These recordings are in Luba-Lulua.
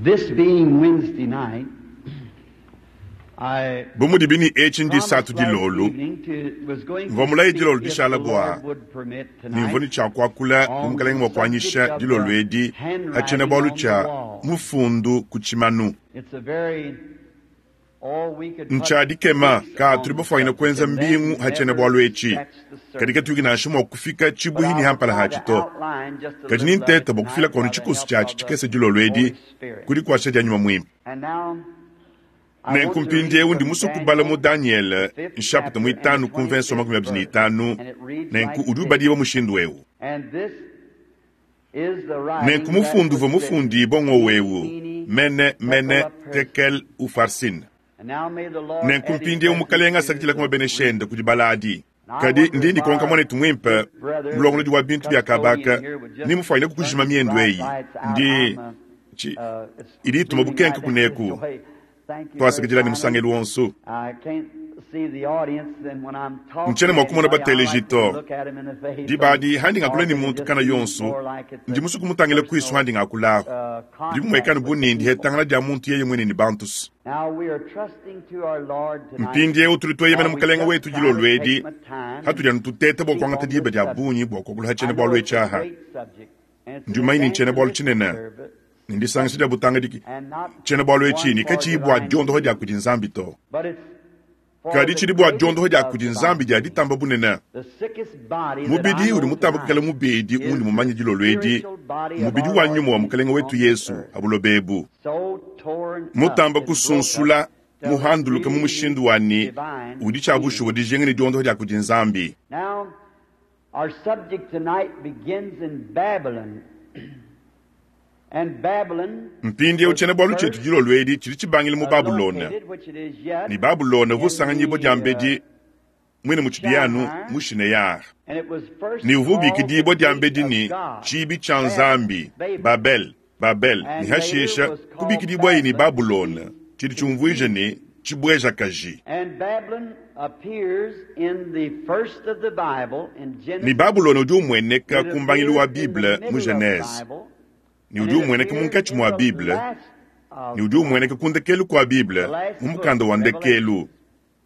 This being Wednesday night, I Bu mudibi ne etshi promised ndisatu last dilolo, evening to, was going mvua to mulaye speak dilolo if dishala the bua Lord would permit ne mvua tonight ne tshia kuakula bu on Mukalenge the mua subject kuanyisha of dilolo the edi pa handwriting tshiena-bualu on the tshia wall. mufundu ku tshimanu. It's a very, oh, we could put Ntshia dikema weeks ka on tudi the bafuanyine subject kuenza and mbingu then ha never tshiena-bualu etshi, scratch the kadi surface. katuyi nansha mua kufika But tshibuhi I ne will hampala try hatshi to to. outline just a Kadi little of it ninteta bua kufila tonight kuanu by the tshikoso help tshiatshi of the tshikese dilolo edi Holy Spirit. kudi kuasha dia nyuma muimpe. And now I Nenku want to read mpindieu ndi from musue kubala mu Daniel, Daniele the fifth nshapita chapter and the muitanu ku mvenso 25th makumi abidi ne verse. itanu And it reads nenku like udi this. ubadibua mushindu eu. And this is the Nenku writing that mufundu uvua was written. mufundibua ng'owu Mene, mene mene Tekel tekel ufarsin. And now may the Lord Nenku add his mpindieu blessing Mukalenge to asakidila ku the mabenesha reading. ende kudi baladi. And I Kadi wonder ndi if ndikonka our muanetu muimpe good brother, mulongolodi the wa bintu bia custodian kabaka here, would just ni mufuanyine turn kukujima these miendu bright eyi lights out. ndi I'm, chi it's idi ituma zooming bukenke right down this kuneku way. Thank you very twasakidila ni kindly. musangelu wonso. I can't see the audience, and when I'm talking Ntshiena to mua kumona anybody, I bateleji like to to. look at 'em in the face, so Dibadi handi ngakula or ni they muntu just kana seem yonso more like it's ndi a musue kumutangila kuisu personal handi ngakulahu. Ndi contact mumuekanu with bu the ne ndi people. hetangana dia muntu yeye mwene ni bantusu. Now we are trusting to our Lord tonight Mpindieu tudi tweyemena while we Mukalenge just wetu try to dilolo take edi my time hatudi and anu tuteta bua speak kuangata on diba this dia subject. bungi bua kuakula ha I know tshiena-bualu it's etshi a aha. great subject, and it's an Ndi mumanye ne ntshiena-bualu evangelistic tshinene service, ne ndisangisha dia butangidiki. and not Tshiena-bualu etshi one ni for katshiyi bua divine diondoha dia healing, kudi Nzambi to. but it's for Kadi the tshidi bua diondoha greatest dia of kudi divine Nzambi dia healing. ditamba bunene. The sickest body that I Mubidi udi know mutamba kukala tonight mubedi is undi the mumanye dilolo edi spiritual body of mubidi our wa Lord nyuma wa Jesus Mukalenge wetu on this Yesu earth. ha buloba ebu. So torn up Mutamba and broke up kusunsula till it muhanduluka mu really mushindu needs wani divine udi tshia bushuwa healing. dijinga ne diondoha dia kudi Nzambi. Now, our subject tonight begins in Babylon. And Babylon Mpindieu was tshiena-bualu tshietu first dilolo edi tshidi tshibangila mu Babulona. located, which it is yet, Ne Babulona uvua in usanganyibua the diambedi mwine mu tshidiyanu Shire, mu Shineyar. and it was first Ne uvua called the ubikidibua gate diambedi of ne God, tshibi tshia Babel, Nzambi, Babel, Babel, Babel, ne and later hashisha was called kubikidibwayi ne Babylon, which Babulona means tshidi tshiumvuija ne confusion. tshibuejakaji. And Babylon appears in the first of the Bible, in Ne Genesis. Babulona udi umueneka It ku mbangilu wa appears in the Bible mu middle of the Genese, Bible, ne and udi it umueneka appears munkatshi in mua the Bible, last of ne udi the Bible, umueneka ku ndekelu kua Bible the last mu book, mukanda wa ndekelu Revelation.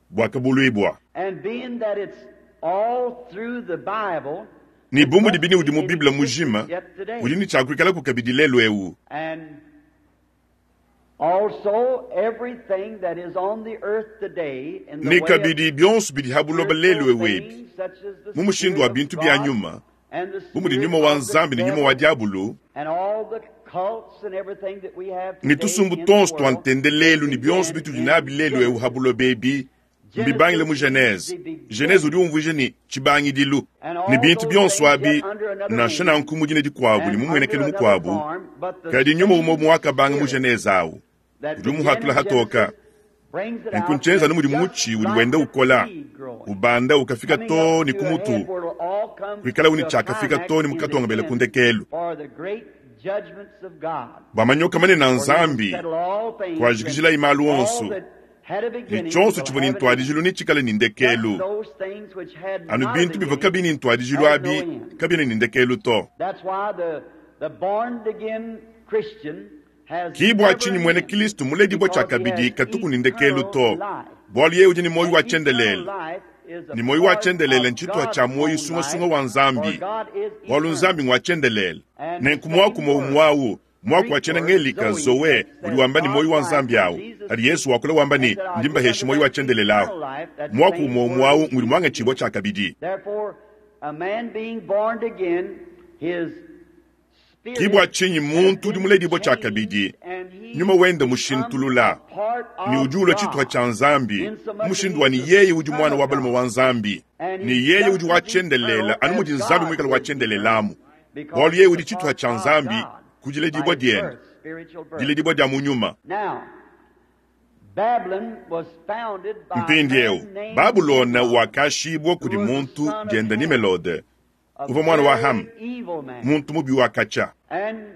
buakabuluibua. And being that it's all through the Bible, Ne it bu mudi must bine be udi mu in Bible existence mujima, yet udi today. ne tshia kuikalaku kabidi lelu eu. And also everything that is on the earth today in the Ne way of kabidi bionso bidi ha buloba lelu spiritual eu ebi, things such as the mu mushindu Spirit wa of bintu bia God nyuma, and the bu mudi spirit nyuma wa of the Nzambi ne nyuma wa devil diabulu, and all the cults and everything that we have ne today tusumbu in the tonso tua world, they ntendelelu ne bionso began bitudi in nabi lelu eu ha Genesis. buloba ebi, mbibangile mu Genesis means Genese. the Genese udi beginning. umvuija ne tshibangidilu And ne all bintu those bionso things yet abi under another nansha name nanku mu dina dikuabu ne and mu under muenekelu another mukuabu, form, but the kadi nyuma umue same muakabanga mu spirit Genese awu that udi began umuhatula in hatoka. Genesis brings it Nenku out ntshienza that anu mudi just mutshi udi like wenda the ukola seed growing, ubanda ukafika coming to up ne to a head ku mutu where it'll all come kuikala to uni a tshiakafika climax to ne in the mukatongabela ku end ndekelu. for the great judgments of God. Bua manyoka manene a For he will Nzambi settle all things, and kuajikijilayi malu all onso that had a ne beginning tshionso will tshivua ne have an end. ntuadijilu ne tshikale ne Just ndekelu. those things which had Anu not a bintu bivua beginning kabiyi ne ntuadijilu have no abi end. kabiena ne ndekelu to. That's why the born again Christian has Ki bua never tshinyi an muena end Kristo muledibua tshia because he kabidi has katuku ne ndekelu eternal to. life. Bualu yeye udi ne muoyo And wa eternal tshiendelele. life is a Ne muoyo wa part tshiendelele of ntshituha God's tshia muoyo own sungasunga life, wa for Nzambi. God is Bualu eternal. Nzambi ngwa tshiendelele. And the Nenku muaku same umue word, umue awu, muaku wa Greek tshiena word ngelika Zoe, zoe that udi says wamba ne muoyo God's wa life, Nzambi when awu. Jesus Kadi Yesu speaks wakula wamba and ne said, I ndi give mbahesha unto muoyo wa them tshiendelele awu. eternal life, that Muaku same umue umue word awu is ngudi used muangatshibua again. tshia kabidi. Therefore, a man being born again, his Ki bua spirit tshinyi has muntu udi been muledibua tshia changed kabidi and he nyuma wenda becomes a mushintulula part ne of udi ulua tshituha God, tshia Nzambi insomuch that mushindu he wa is ne the yeye udi Son muana of wa balume God. wa Nzambi And ne he's yeye just udi wa as eternal tshiendelele anu as mudi Nzambi God muikale wa is eternal, tshiendelelamu. because Bualu yeye he's a udi tshituha part tshia of Nzambi God ku by diledibua his diende, birth, spiritual birth. diledibua dia mu nyuma. Now, Babylon was founded by a Mpindieu man named Babulona Nimrod, wakashibua who kudi was the muntu son of dienda Ham, Nimelode a uvua muana wa very Ham, evil man. muntu mubi wa katshia. And Ne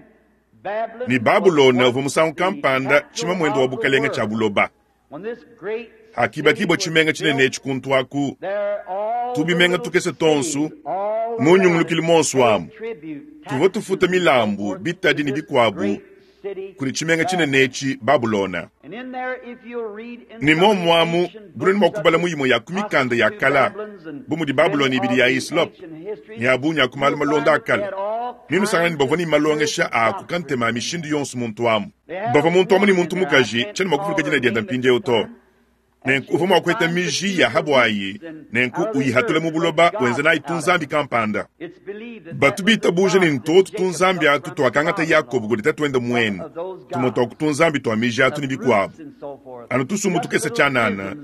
Babylon was Babulona uvua once musangu the kampanda capital tshimamuende wa of the bukalenge tshia world. buloba. When this great city Hakibakibua was tshimenga tshinene built, etshi kuntu aku, there all the tubimenga little tukese cities tonso all mu around nyungulukilu it monso paid amu. tribute, Tuvua tufuta taxes, and so milambu, forth to bitadi ne this bikuabu great city kudi tshimenga tshinene etshi, Babulona. Ne muomu amu, bunudi mua kubala mu imue ya ku mikanda ya kala, bu mudi Babulona ibidi ya Hislop ne a bungi a ku malu malonda a kale, nenusangane ne bavua ne malongesha a akoka ntema a mishindu yonso muntu amu. Bavua muntu amu ne muntu mukaji, tshiena mua kuvuluka dina diende mpindieu to. Nenku uvua mua kuheta miji ya ha buayi, nenku uyihatula mu buloba, wenza nayi tunzambi kampanda. Batu bitabuja ne ntuotu tunzambi atu tuakangata Yakobo kudi tatuende muenu, tumue tua ku tunzambi tua miji atu ne bikuabu, anu tusumbu tukese tshianana,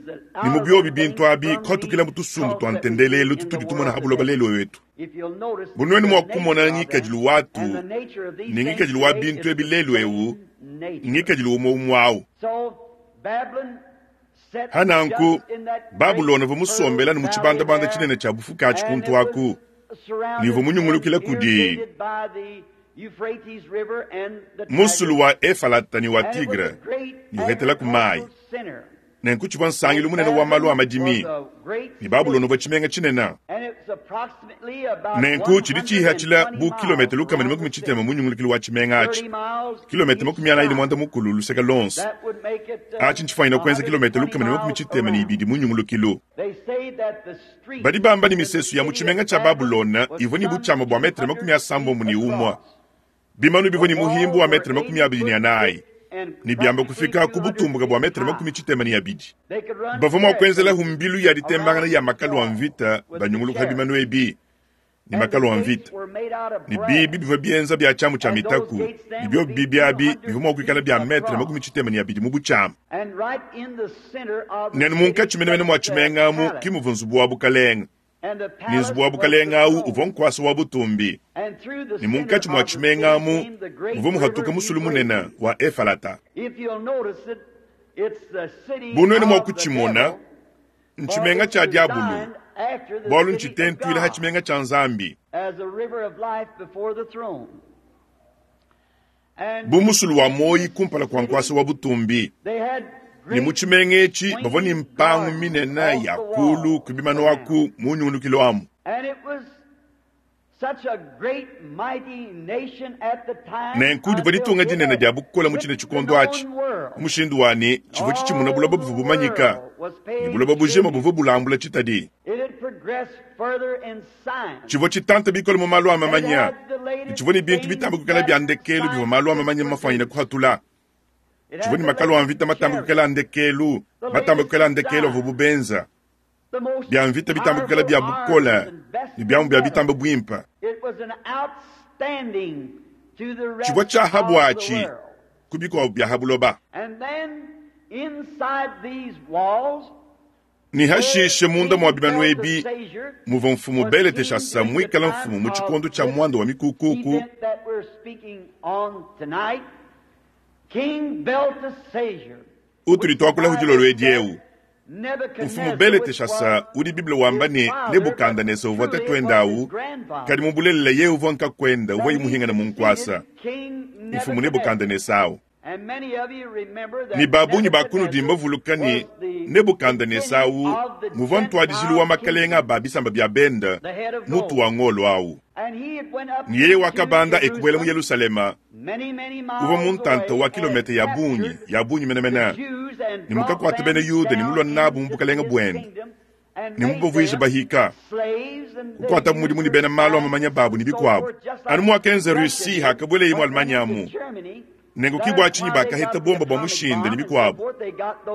ne mu biobi bintu abi kuhatukila mu tusumbu tua ntendelelu tutudi tumona ha buloba lelu etu. Bu nuenu mua kumona ngikadilu watu ne ngikadilu wa bintu ebi lelu eu, ngikadilu umue umue au. Pa nanku, Babulona uvua musombele anu mu tshibandabanda tshinene tshia bufuke atshi kuntu aku, ne uvua munyungulukila kudi musulu wa Efalata ne wa Tigre ne uhetela ku mayi. Nenku tshivua nsangilu munene wa malu a madimi, ne Babulona uvua tshimenga tshinene. Nenku tshidi tshihatshila bu kilometa 160 mu nyungulukilu wa tshimenga atshi, kilometa 45 luseke luonso. Atshi ntshifwanyine kuenza kilometa 162 mu nyungulukilu. Badi bamba ne misesu ya mu tshimenga tshia Babulona ivua ne butshiama bua metre 91. Bimanu bivua ne muhimbu wa metre 24 ne biamba kufika ku butumbuka bua metre 62. Bavua mua kuenzelahu mbilu ya ditembangana ya makalu a mvita banyunguluka bimanu ebi ne makalu a mvita, ne biibi bivua bienza bia tshiamu tshia mitaku, ne biobi biibi abi bivua mua kuikala bia metre 62 mu butshiama. Nenu munkatshi menemene mua tshimenga amu ke muvua nzubu wa bukalenge. Ne nzubu wa bukalenge au uvua nkuasa wa butumbi, ne munkatshi mua tshimenga amu muvua muhatuka musulu munene wa Efalata. Bu nuenu mua kutshimona, ntshimenga tshia diabulu, bualu ntshitentuile ha tshimenga tshia Nzambi. Bu musulu wa muoyi kumpala kua nkuasa wa butumbi. Ne mu tshimenga etshi bavua ne mpangu minene ya kulu ku bimanu aku mu nyungulukilu amu. Nenku divua ditunga dinene dia bukole mu tshine tshikondo atshi, mu mushindu wa ne, tshivua tshitshimuna buloba buvua bumanyika, ne buloba bujima buvua bulambula tshitadi. Tshivua tshitanta bikole mu malu a mamanya, ne tshivua ne bintu bitambe kuikala bia ndekelu bivua malu a mamanya mafuanyine kuhatula. Tshivua ne makalu a mvita matambe kuikala a ndekelu, matambe kuikala a ndekelu avuabu benza, bia mvita bitambe kuikala bia bukole ne biamu bia bitambe buimpe. Tshivua tshia ha buatshi ku bikuabu bia ha buloba. Ne hashishe munda mua bimanu ebi muvua mfumu Beleteshasa muikale mfumu mu tshikondo tshia muanda wa mikukuku. Utudi tuakulahu dilolo edi eu, mfumu Beleteshasa udi Bible wamba ne Nebukandanesa uvua tatuende au, kadi mu bulelela yeye uvua nkakuende uvua muhingane mu nkuasa, mfumu Nebukandanesa au. Ne ba bungi ba kunudi mbavuluka ne, Nebukandanesa au nguvua ntuadijilu wa makalenge a ba bisamba bia bende, mutu wa ngolo au. Ne yeye wakabanda e kubuela mu Yelushalema, uvua mu ntanta wa kilometa ya bungi, ya bungi menemene, ne mukakuata bena Yuda ne mulua nabu mu bukalenge buende, ne mubavuije bahika, kukuatabu mudimu ne bena malu a mamanya babu ne bikuabu, anu muakenza Russie hakabueleye mu Allemagne amu. Nenku ki bua tshinyi bakaheta bomba bua mushinde ne bikuabu,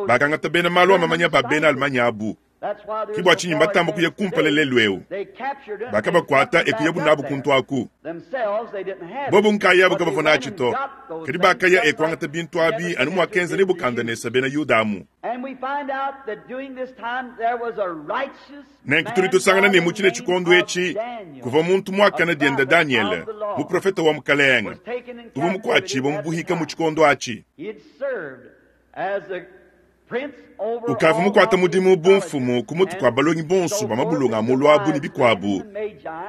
bakangata bena malu a mamanya ba bena Allemagne abu. Ki bua tshinyi mbatamba kuya kumpala lelu eu. Bakabakuata e kuyabu nabu kuntu aku. Bobu nkayabu kabavua natshi to, kadi bakaya e kuangata bintu abi anu muakenza Nebukandanesa bena Yuda amu. Nenku tudi tusangana ne mu tshine tshikondo etshi kuvua muntu muakane diende Danyele, muprofete wa Mukalenge, uvua mukuatshibue mu buhika mu tshikondo atshi. Ukavua mukuate mudimu bu mfumu ku mutu kua balongi bonso ba mabulunga a mulu abu ne bikuabu,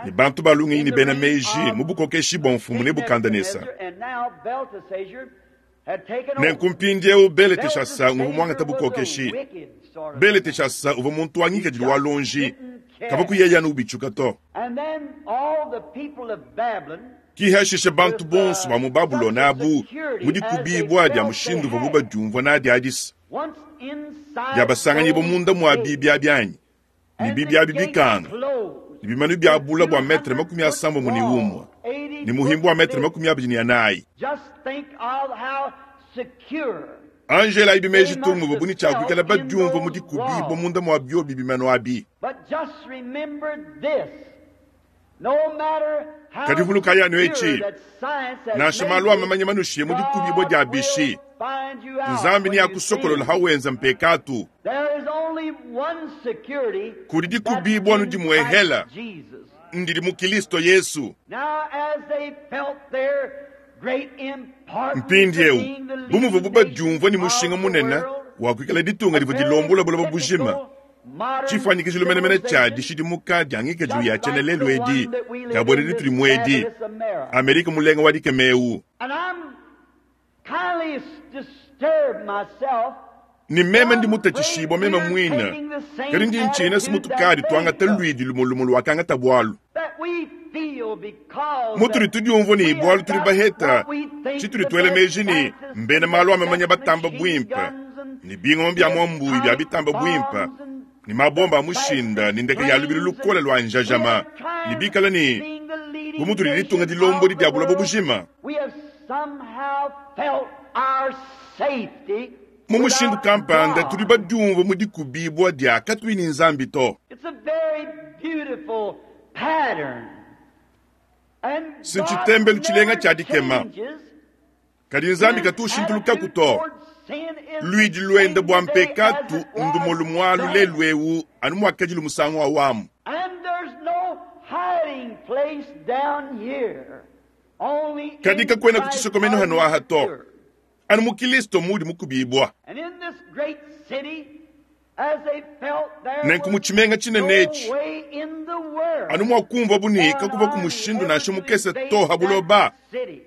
ne bantu ba lungenyi ne bena meji mu bukokeshi bua mfumu Nebukandanesa. Nenku mpindieu Beleteshasa nguvua muangate bukokeshi. Beleteshasa uvua muntu wa ngikadilu wa luonji, kavua kuyeya anu ubitshuka to. Ki hashishe bantu bonso ba mu Babulona abu mu dikubibua dia mushindu uvuabu badiumvua nadi adi se, diabasanganyibua munda mua biibi abi anyi? Ne biibi abi bikanga, ne bimanu bia bule bua metre 31 ne muhimbu wa metre 24. Anji elayibi meji tung muvuabu ne tshia kuikala badiumvua mu dikubibua munda mua biobi bimanu abi. Kadi vulukayi anu etshi, nansha malu a mamanya manushiye mu dikubibua dia bishi, Nzambi neakusokolola hawenza mpekatu. Kudi dikubibua anu dimuehela, ndidi mu Kilisto Yesu. Mpindieu, bu muvuabu badiumvua ne mushinga munene wa kuikala ditunga divua dilombola buloba bujima, tshifuanyikijilu menemene tshia dishidimuka dia ngikadilu ya tshiena lelu edi dia buena ditudi mu edi, Amerika mulenga wa dikema eu. Ne meme ndi mutatshishibua meme muine, kadi ndi ntshina se mutukadi tuangata luidi lumue lumue luakangata bualu. Mutudi tudiumvua ne bualu tudi baheta tshitudi tuela meji ne mbena malu a mamanya batamba buimpe ne bingoma bia muambuyi bia bitamba buimpe ne mabomba a mushinda ne ndeke ya lubilu lukole lua njajama ne bikala ne bu mutudi ditunga dilombodi dia buloba bujima. Mu mushindu kampanda tudi badiumvue mu dikubibua dia katuyi ne Nzambi to. Si ntshitembelu tshilenga tshia dikema, kadi Nzambi katu ushintulukaku to. Luidi luende bua mpekatu ndumue lumualu lelu'eu anu muakadilu musangu awamu. Kadi kakuena ku tshisokomenu hanu aha to. Anu mu Kilisto muudi mukubibua. Nenku mu tshimenga tshinene etshi, anu muakumvuabu ne kakuvuaku mushindu nansha mukese to ha buloba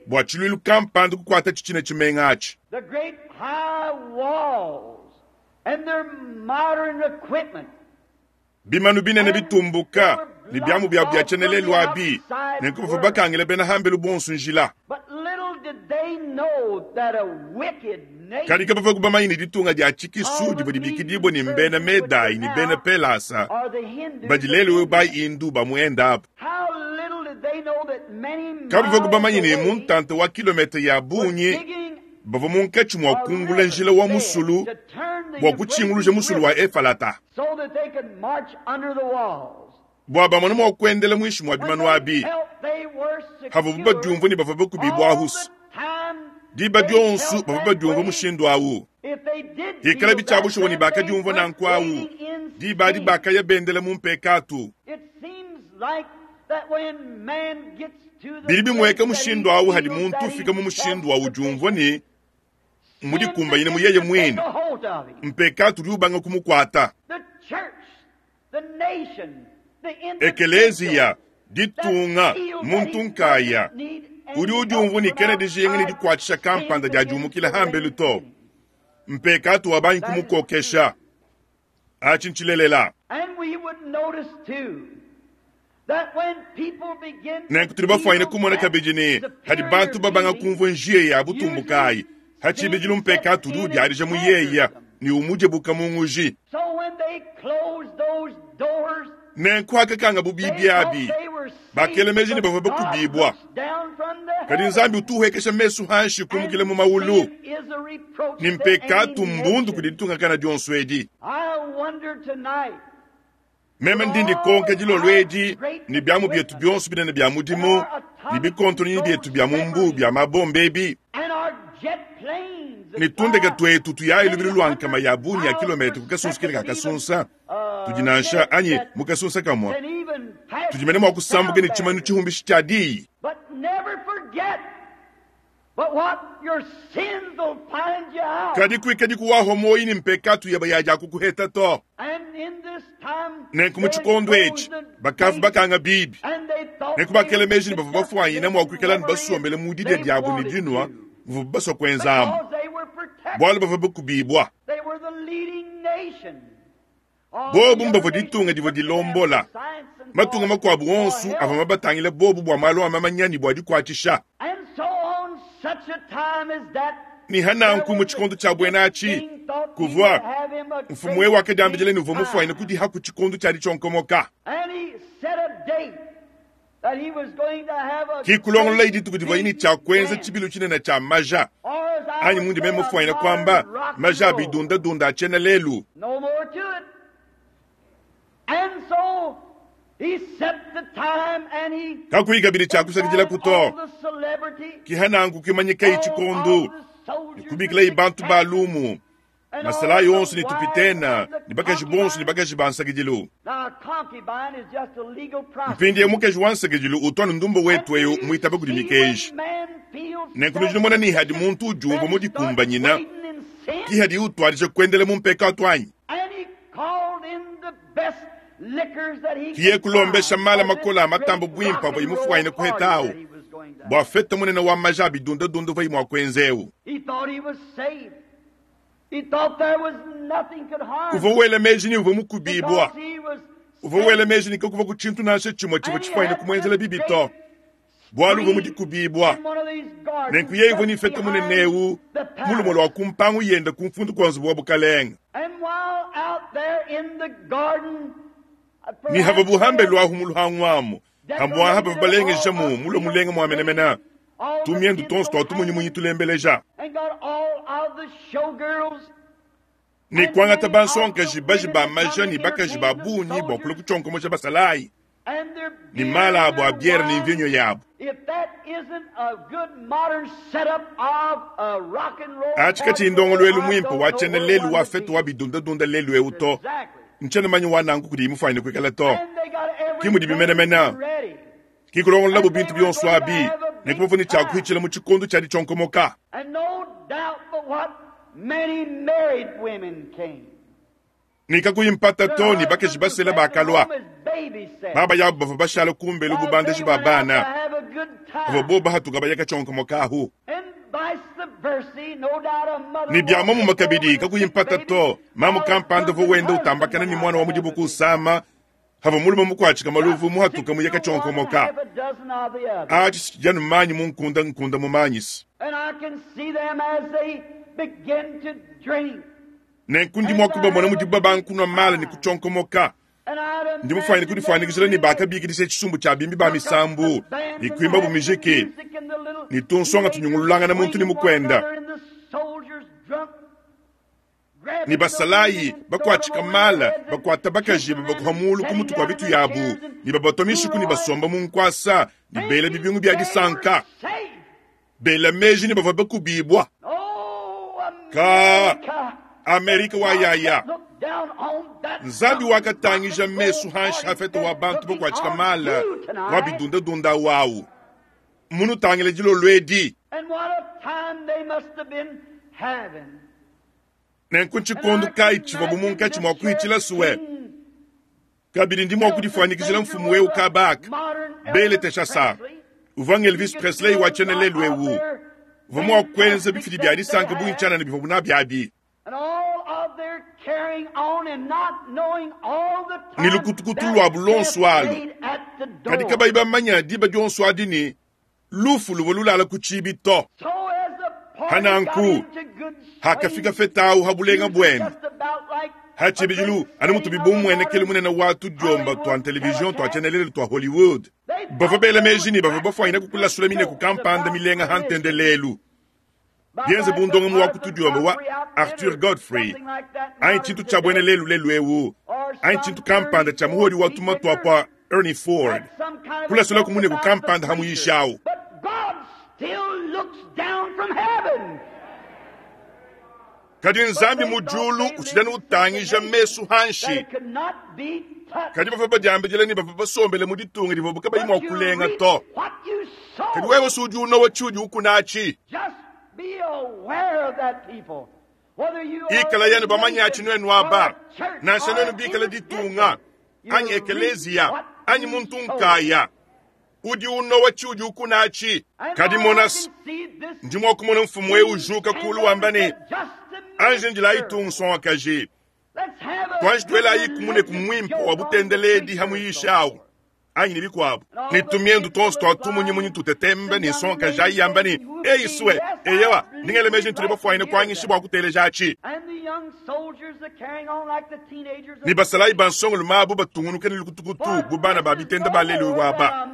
bua tshiluilu kampanda kukuatatshi tshine tshimenga atshi. Bimanu binene bitumbuka ne biamu biabu bia tshienelelu abi, nenku bavua bakangila bena hambelu bonso njila. Kadi kabavua bamanye ne ditunga dia tshikisu divua dibikidibue ne mbena Medai ne bena Pelasa, badi lelu eu ba Hindu ba mu Inde abu. Kabavua bamanye ne mu ntanta wa kilometre ya bungi bavua munkatshi mua kungula njila wa musulu bua kutshinguluja musulu wa Efalata, bua bamone mua kuendela muinshi mua bimanu abi. Havuabu badiumvua ne bavua bakubibua ahusu, diba dionso bavua badiumvua mushindu au. Hikala bitshia bushuwa ne bakadiumvua nanku au, diba adi bakaya bendela mu mpekatu. Bidi bimueka mushindu au hadi muntu ufika mu mushindu wa udiumvua ne mudikumbanyine mu yeye muine, mpekatu udi ubanga kumukuata. Ekeleziya, ditunga, muntu nkaya udi udiumvua ne kena dijinga ne dikuatshisha kampanda dia diumukila hambelu to. Mpekatu wabangi kumukokesha. Atshi ntshilelela. Nenku tudi bafuanyine kumona kabidi ne, hadi bantu babanga kumvua njiya ya butumbukayi, ha tshibidilu mpekatu udi udiadija mu yeya ne umudibuka mu nguji. Nenku hakakanga bu bibi abi, bakela meji ne bavua bakubibua. Kadi Nzambi utu uhuekesha mesu hanshi kumukila mu maulu, ne mpekatu mbundu kudi ditungakana dionso edi. Meme ndi ndikonka dilolo edi ne biamu bietu bionso binene bia mudimu ne bikontonyi bietu bia mu mbuu bia mabomba ebi ne tundeke tuetu tuyayi lubilu lua nkama ya bungi ya kilometre ku kasunsa kele ka kasunsa tudi nansha anyi mu kasunsa kamue tudi mene mua kusambuka ne tshimanu tshihumbishi tshia diyi. Kadi kuikadi kuwahua muoyo ne mpekatu yeba ya diakukuheta to. Nenku mu tshikondo etshi bakavu bakanga bibi, nenku bakela meji ne bavua bafuanyine mua kuikala ne basombele mu didia diabu ne dinua muvuabu basua kuenzamu, bualu bavua bakubibua. Bobu mbavua ditunga divua dilombola. Matunga makuabu onso avua mabatangile bobu bua malu a mamanya ne bua dikuatshisha. Ne hananku mu tshikondo tshia buena atshi, kuvua mfumu eu wakadiambidila ne uvua mufuanyine kudiha ku tshikondo tshia ditshionkomoka. Ki kulongololayi dituku divuaye ne tshia kuenza tshibilu tshinene tshia maja, anyi mundi meme mufuanyine kuamba, maja a bidundadunda a tshiena lelu. Kakuyi kabidi tshia kusakidilaku to. Ki hananku kuimanyikayi tshikondo ne kubikilayi bantu ba lumu, masalayi onso ne tupitena ne bakaji bonso ne bakaji ba nsakidilu. Mpindieu mukaji wa nsakidilu utu anu ndumba wetu eu muitaba kudi mikenji. Nenku nudi numona ne hadi muntu udiumvua mudikumbanyina, ki hadiye utuadija kuendela mu mpekatu anyi? Kiye kulombesha mala makole a matambo buimpe avua imufuanyine kuhetawu bua fete munene wa maja a bidundadunda uvuaye mua kuenza eu. Uvua wela meji ne uvua mukubibua. Uvua wela meji ne kakuvua ku tshintu nansha tshimue tshivua tshifuanyine kumuenzela bibi to, bualu uvua mu dikubibua. Nenku yeye uvua ne fete munene eu mu lumue lua ku mpangu yende ku mfundu kua nzubu wa bukalenge. Ne havua buhambe luahu mu luhangu amu, hambuaha bavua balengejamu mulue mulenga mua menemene, tumiendu tuonso tua tumunyimunyi tulembeleja. Ne kuangata bansongakaji baji ba maja ne bakaji ba bungi bua kulua kutshionkomosha basalayi ne mala abu a biere ne mvinyo yabu. Atshi katshiyi ndongoluelu muimpe wa tshiena lelu wa fete wa bidundadunda lelu eu to. Ntshiena manya wa nanku kudiyi mufuanyine kuikala to. Ki mudibi menemene. Ki kulongololabu bintu bionso abi ne kubavua ne tshia kuhitshila mu tshikondo tshia ditshionkomoka. Ne kakuyi mpata to ne bakaji basela bakalua. Baba yabu bavua bashala kumbelu bu bandeji ba bana bavua bobu bahatuka baya katshionkomoka ahu. Ne bia muomumue kabidi, kakuyi mpata to, mamu kampanda uvua wenda utambakana ne muana wa mu dibuku usama havua mulume mukuatshika maluvu muhatuka muye katshionkomoka. Atshi si tshidi anu manyi mu nkunda nkunda mumanyisi. Nenku ndi mua kubamona mudibu babanga kunua mala ne kutshionkomoka. Ndi mufuanyine kudifuanyikijila ne bakabikidisha tshisumbu tshia bimbi ba misambu ne kuimbabu mijiki ne tunsonga tunyungululangana muntu ne mukuenda ne basalayi bakuatshika mala bakuata bakaji babakuha mulu ku mutu kua bitu yabu ne babatua mishiku ne basomba mu nkuasa ne bela bibingu bia disanka bela meji ne bavua bakubibua. Ka Amerika wa yaya Nzambi wakatangija mesu hanshi hafeta wa bantu bakuatshika mala wa bidundadunda wawu munutangile dilolo edi. Nenku ntshikondo kayi tshivuabu munkatshi mua kuhitshila sue? Kabidi ndi mua kudifuanyikijila mfumu eu Kabaka, Beleteshasa, uvua ng'Elvis Presley wa tshiena lelu eu, uvua mua kuenza bifidi bia disanka bungi tshianana bivuabu nabi abi. Ne lukutukutu luabu luonso alu, kadi kabayi bamanya diba dionso adi ne, lufu luvua lulala ku tshiibi to. Hananku, hakafika feta au ha bulenga buende, ha tshibidilu anu mutubi bumuenekelu munene wa tudiomba tua television tua tshienelele tua Hollywood, bavua bela meji ne bavua bafuanyine kukulasula mineku kampanda milenga ha ntendelelu, bienze bu ndongamu wa ku tudiomba wa Arthur Godfrey anyi tshintu tshia buena lelu lelu eu anyi tshintu kampanda tshia muhodi wa tumatu apua Ernie Ford kulasula ku muneku kampanda ha muyishi au. Kadi Nzambi mu diulu utshidi anu utangija mesu hanshi. Kadi bavua badiambidila ne bavua basombele mu ditunga divuabu kabayi mua kulenga to. Kadi wewe si udi unowa tshiudi ukuna atshi. Ikalayi anu bamanye atshi nuenu aba, nansha nuenu bikale ditunga anyi ekeleziya anyi muntu nkaya, udi unowa tshiudi ukuna atshi. Kadi monas, ndi mua kumona mfumu eu ujuka kulu wamba ne, Anji ndilayi tungu nsongakaji, tuanji tuelayiku muneku muimpe wa butendeledi ha muyishi au. anyi ne bikuabu, ne tumiendu tuonso tua tumunyimunyi tutetemba ne nsongakaji ayi yamba ne, Eyi sue, eyowa, ndi ngela meji ne tudi bafuanyine kuanyisha bua kuteleja atshi. Ne basalayi ba nsongalume abu batungunuka ne lukutukutu bu bana ba bitenda ba lelu eu aba.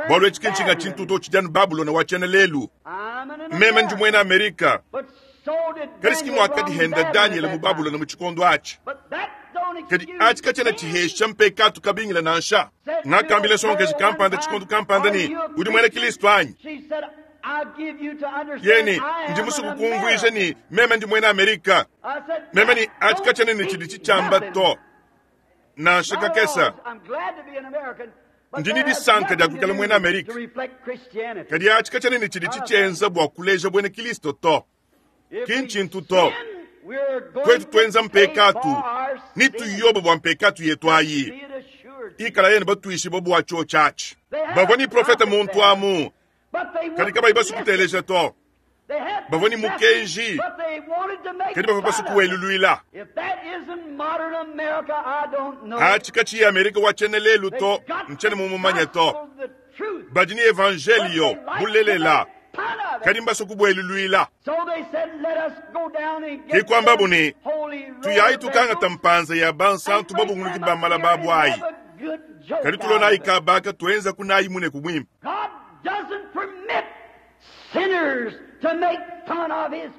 Bualu etshi ki ntshinga tshintu to, tshidi anu Babulona wa tshiena lelu. Meme ndi muena Amerika. Kadi si muakadihenda Danyele mu Babulona mu tshikondo atshi. Kadi atshi katshiena tshihesha mpekatu kabingila nansha. Ngakambila nsongakaji kampanda tshikondo kampanda ne, Udi muena Kristo anyi? Yeye ne, Ndi musue kukumvuija ne, meme ndi muena Amerika. Meme ne, atshi katshiena ne tshidi tshitshiamba to, nansha kakese. Ndi ne disanka dia kuikala muena Amerika, kadi atshi katshiena ne tshidi tshitshienza bua kuleja buena Kristo to. Ki ntshintu to. Tuetu tuenza mpekatu, ne tuyoba bua mpekatu yetu ayi. Ikalayi ne batuishibue bua tshiotshi atshi. Bavua ne profete muntu amu, kadi kabayi basue kuteleja to. Bavua ne mukenji, kadi bavua basue kuweluluila. Atshi katshiyi Amerika wa tshiena lelu to, ntshiena mumumanye to. Badi ne evanjeliyo bulelela, kadi mbasue kubueluluila. Ke kuambabu ne, Tuyayi tukangata mpanza ya bansantu babunguluki ba malaba abu ayi, kadi tulonayi kabaka tuenzaku nayi muneku muimpe.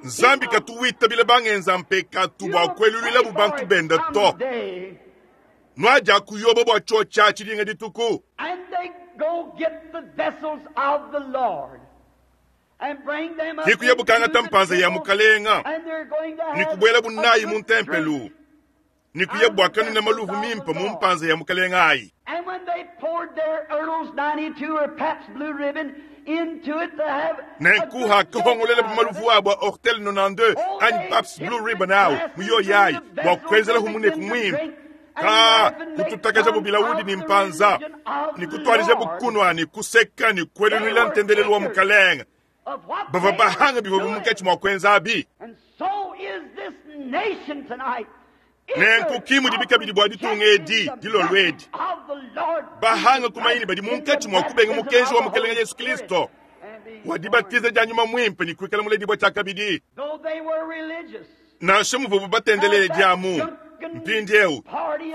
Nzambi katu witabila bangenza mpekatu bua kueluluilabu bantu bende to. Nuadia kuyoba bua tshiotshi atshi dinga dituku. Ke kuyabu kangata mpanza ya mukalenga ne kubuelabu nayi mu ntempelu ne kuya bua kanuna maluvu mimpe mu mpanza ya mukalenga ayi. Nenku hakahongolelabu maluvu abu a Hortel 92 anyi Pabst Blue Ribbon au mu yoyi ayi bua kuenzelahu muneku muimpe, ka kututakajabu bilaudi ne mpanza ne kutuadijabu kunua ne kuseka ne kueluluila ntendelelu wa mukalenge. Bavua bahanga bivua munkatshi mua kuenza abi. Nenku ki mudibi kabidi bua ditunga edi dilolo edi. Bahanga kumanya ne badi munkatshi mua kubenga mukenji wa Mukelenge Yesu Kristo wa dibatiza dia Nyuma Muimpe ne kuikala muledibua tshiakabidi. Nansha muvuabu batendelele diamu, mpindieu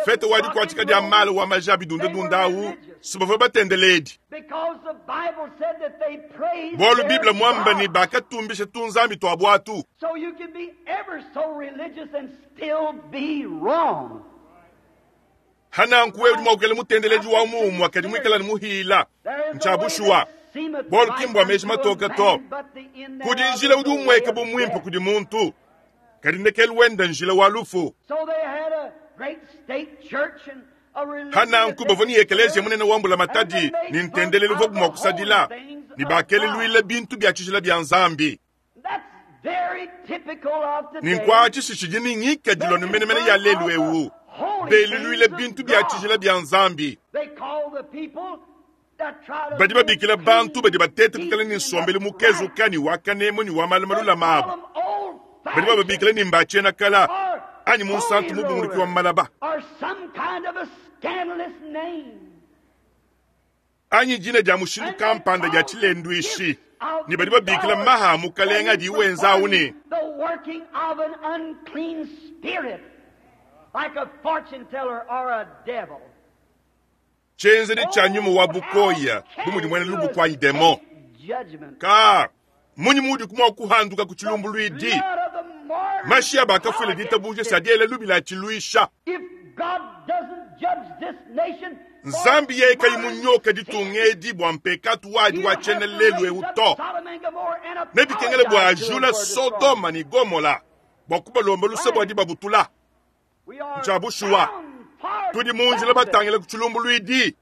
fete wa dikuatshika dia mala wa maja bidundadunda au si bavua batendeledi. Bualu Bible muamba ne bakatumbisha tunzambi tua buatu. Hananku wewe udi mua kuikala mutendeledi wa muumua kadi muikala ne muhila. Ntshia bushuwa, bualu ki mbua meji matoke to. Kudi njila udi umueka bu muimpe kudi muntu, kadi ndekelu wende njila wa lufu. Hananku bavua ne ekeleziya munene wa mbulamatadi ne ntendelelu uvuabu mua kusadila, ne bakeluluila bintu bia tshijila bia Nzambi. Ne nkuatshishi tshidi ne ngikadilu anu menemene ya lelu eu, beluluile bintu bia tshijila bia Nzambi. Badi babikila bantu badi bateta kuikala ne nsombelu mukezuka ne wa kanemu ne wa malu malulame abu, badi bababikila ne mba tshiena kala anyi munsantu mubunguluki wa malaba anyi dina dia mushindu kampanda dia tshilenduishi, ne badi babikila maha a mukalenge adiye wenza au ne, tshienzedi tshia nyuma wa bukoya bu mudi muena lubuku anyi demon. Ka munyi muudi mua kuhanduka ku tshilumbuluidi? Mashi a bakafuila ditabuja si adi ela lubila atshiluisha. Nzambi yeye kayi munyoka ditunga edi bua mpekatu wadi wa tshiena lelu eu to, nebikengele bua ajula Sodoma ne Gomola bua kubalomba luse bua dibabutula. Ntshia bushuwa, tudi mu njila batangile ku tshilumbuluidi.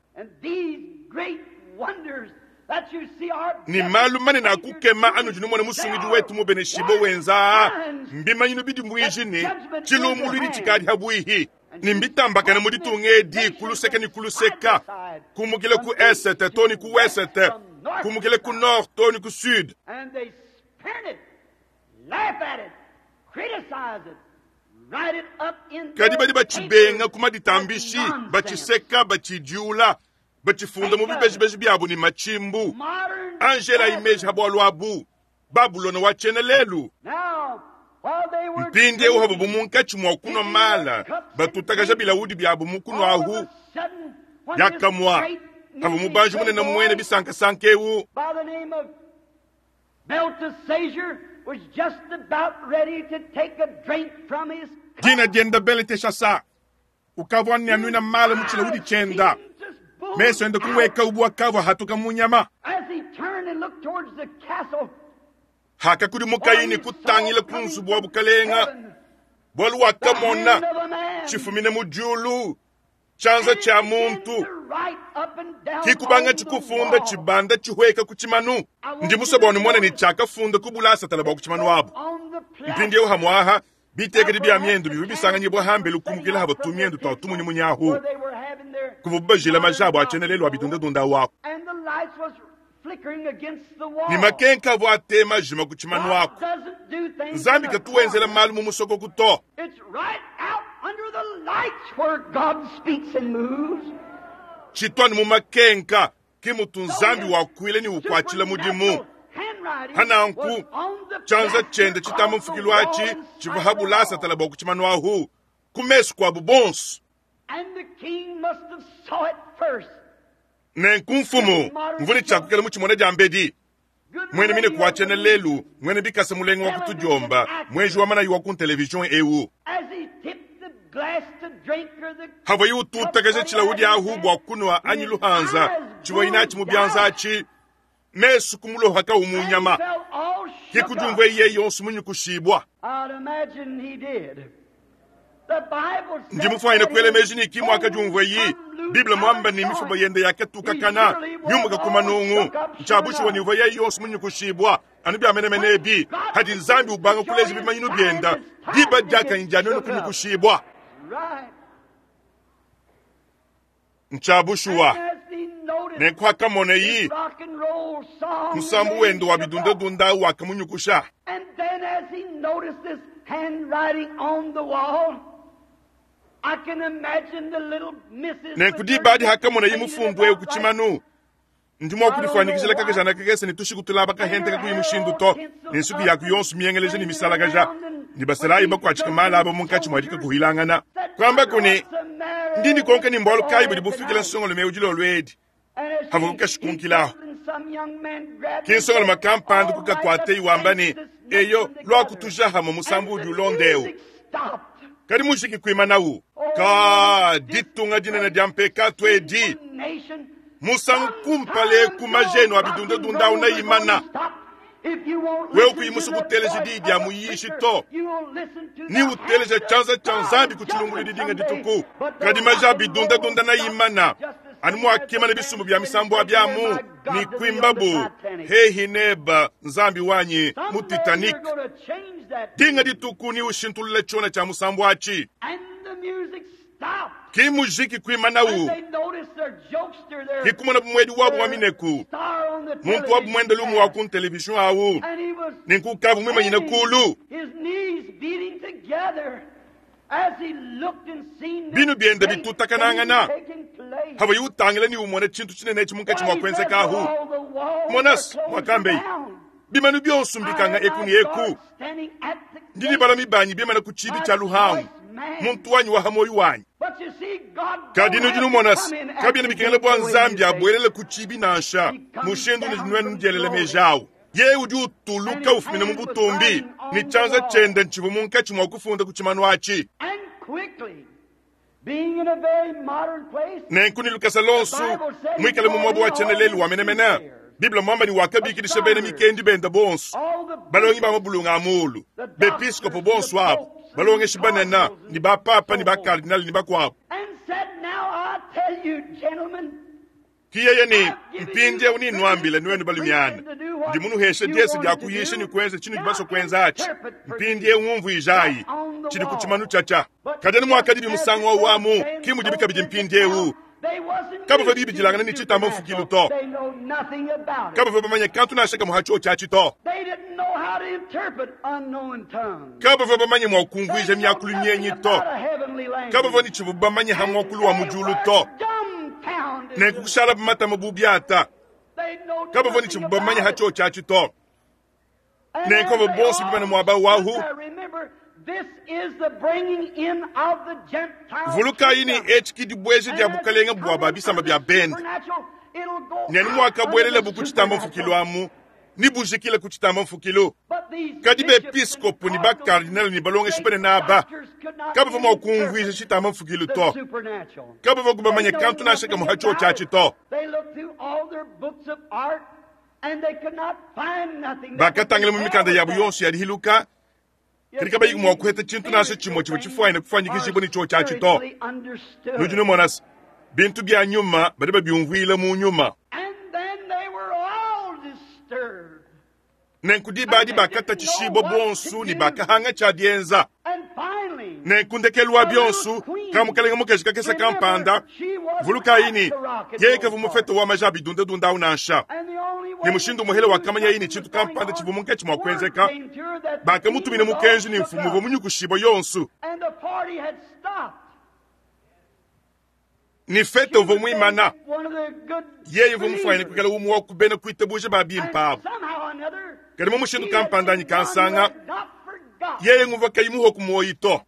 Ne malu manene a kukema anudi numona Musungidi wetu mubeneshibue wenza aa mbimanyinu bidimuiji ne, tshilumbuluidi tshikadi pabuipi. Ne mbitambakane mu ditunga edi ku luseke ne ku luseka, kumukila ku esete too ne ku wesete, kumukila ku nord too ne ku sud. Kadi badi batshibenga ku maditambishi, batshiseka, batshidiula. Batshifunda mu bibejibeji biabu ne matshimbu. Anji elayi meji ha bualu abu, Babulona wa tshiena lelu. Mpindieu havuabu munkatshi mua kunua mala, batutakaja bilaudi biabu mu kunua ahu, diakamue havua mubanji munene muena bisankasanka eu, dina diende Beleteshasa, ukavua ne anuina mala mu tshilaudi tshienda, mesu ende kuweka bu akavua hatuka mu nyama. Hakakudimukaye ne kutangila ku nzubu wa bukalenga, bualu wakamona tshifumine mu diulu, tshianza tshia muntu kikubangatshi kufunda tshibanda tshihueka ku tshimanu. Ndi musue bua numone ne tshiakafunda ku bulasatala bua ku tshimanu abu. Mpindieu hamuaha bitekedi bia miendu bivua bisanganyibua hambelu kumukila hava tumiendu tua tumunyimunyi ahu kuvua bajila maja abu a tshiena lelu a bidundadunda awu ne makenka avua atema ajima ku tshimanu aku. Nzambi katu wenzela malu mu musokoku to. Tshituanu mu makenka ke mutu Nzambi wakuila ne ukuatshila mudimu. Hananku tshianza tshiende tshitamba mfukilu atshi tshivua habulasatala bua ku tshimanu ahu ku mesu kuabu bonso. Nenku mfumu mvua ne tshiakukela mu tshimona dia mbedi mwene mine kuatshiena lelu mwene bikasa mulenga wa kutudiomba mwenji wa manayi wa ku television eu havua ututakaja tshilaudi ahu bua kunua anyi luhanza tshivua inatshi mu bianza atshi mesu kumulohaka umunyama kikudiumvua iye yonso munyukushibua. Ndi mufuanyine kuela meji ne kimua akadiumvua yi Bible mwamba ne mifuba yende yakatukakana miumuka ku manungu ntshiabushiwa ne uvua yeye yonso munyukushibua anu bia menemene ebi hadi Nzambi ubanga kuleja bimanyinu bienda diba diakanyi dia nenu kunyukushibua. Ntshiabushiwa nenku akamona yi musambu wende wa bidundadunda wakamunyukusha. Nenku diba adi hakamona yi mufundu eu ku tshimanu ndi mua kudifuanyikijila kakajana kakese ne tushiku tulaba kahente kakuyi mushindu to ne nsuku yaku yonso miengeleja ne misalakaja ne basalayi bakuatshika mala abo munkatshi mua dikakuhilangana kuamba kune ndi ndikonka ne mbualu kayi budi bufikila nsongolume udi lolu edi havua kukashikunkilaho ki nsongolume kampanda kukakuateyi wamba ne eyo luakutujahamu musambu udi ulonda eu kadi mujiki kuimanawu ka ditunga dinene dia mpekatu edi musangu kumpale ku majenu a bidundadunda awu naimana wewe kuyimusa kuteleja diyi dia muyishi to ni uteleja tshianza tshia Nzambi ku tshilungulu didinga dituku kadi maja a bidundadunda naimana anu muakimana bisumbu bia misambu abiamu ni kuimbabu hehi neba Nzambi wanyi mu Titanic dinga dituku ni ushintulula tshiona tshia musambu atshi ki mujiki kuimanawu kikumona bumwedi wabu wa mineku muntu wabu mwende lumu wa ku television awu nenku kavu mwimanyina kulu binu biende bitutakanangana hava yutangila ni umona tshintu tshinene etshi munkatshi mua kuenzeka ahu monas mwakambei bimanu byonso mbikanga eku ni eku ndidi bala mibanyi bimana ku tshibi tshia luhangu muntu wanyi wa hamoyo wanyi kadi nudi numonasi kabiena bikengela bua Nzambi abuelele ku tshibi nansha mushindu nudi nuenu nudielele meji awu ye udi utuluka ufumina mu butumbi ne tshianza tshiende ntshivua munkatshi mua kufunda ku tshimanu atshi. Nenku ne lukasa lonso muikale mu muaba wa tshiena lelu wa menemene Bible mwamba ni wakabikidisha bena mikendi benda bonso balongi ba mabulunga a mulu bepiskopo bonso abo balongeshi banene ni bapapa ni bakardinali ni bakuabu. Kiyeye ni mpindieu ni nwambile nwenu balumiana ndi munuhesha diesi dia kuyisha ni kuenza tshinu dibaso kuenza atshi mpindieu ngumvuijayi tshidi ku tshimanu tshatsha kadi anu muakadi bimusangu wawu amu ki mudi bikabidi mpindieu kabavua bibidilangana ne tshitamba mfukilu to kabavua bamanye kantu nansha kamue ha tshio tshiatshi to kabavua bamanye mua kumvuija miakulu mienyi to kabavua ne tshivua bamanye ha muakulu wa mu diulu to. Nenku kushalabu matama bu biata. Kabavua ne tshivua bamanye ha tshiotshi atshi to. Nenku bavua bonso bimane muaba wahu. Vulukayi ne, etshi ke dibueja dia bukalenge bua ba bisamba bia bende. Ne anu muakabuelelabu ku tshitamba mfukilu amu, nebujikile ku tshitamba mfukilu. Kadi bepiskopo ne bakardinale ne balongeshi banene aba kabavua mua kumvuija tshitamba mfukilu to. Kabavua bamanye kantu nansha kamue ha tshiotshi atshi to. Bakatangila mu mikanda yabu yonso ya dihiluka, kadi kabayi mua kuheta tshintu nansha tshimue tshivua tshifuanyine kufuanyikijibua ne tshiotshi atshi to. Nudi numona se, bintu bia nyuma badi babiumvuila mu nyuma. Nenku diba adi bakatatshishibua bonso ne bakahanga tshia dienza. Nenku ndekelu wa bionso, ka mukalenge mukaji kakese kampanda, vulukayi ne, yeye kavua mufete wa maja a bidundadunda au nansha. Ne mushindu umuhele wakamanyaye ne tshintu kampanda tshivua munkatshi mua kuenzeka, bakamutumina mukenji ne mfumu uvua munyukushibua yonso. Ne fete uvua muimana, yeye uvua mufuanyine kuikala umue wa ku bena kuitabuja ba bimpe abu. Kadi mu mushindu kampanda anyi kansanga, yeye nguvua kayi muhue ku muoyo to.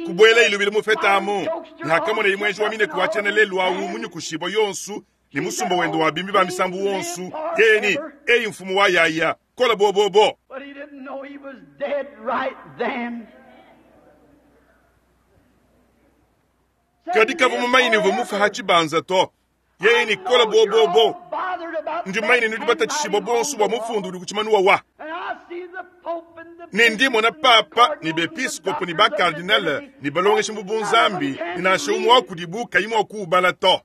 Kubuela ilubile mu fete amu, ne hakamoneye muenji wa mineku wa tshiena lelu au munyukushibua yonso ne musumba wende wa bimbi ba misambu wonso, yeye ne, Eyi mfumu wa yaya, kola bobobo. Kadi kavua mumanye ne uvua mufue ha tshibanza to. Yeye ne kola bobobo. Ndi mumanye ne nudi batatshishibua bonso bua mufundu udi ku tshimanu wawa. Ne ndi mona papa ne bepiskopo ne bakardinale ne balongeshi mu bunzambi ne nansha umue wa kudibu kayi mua kuubala to.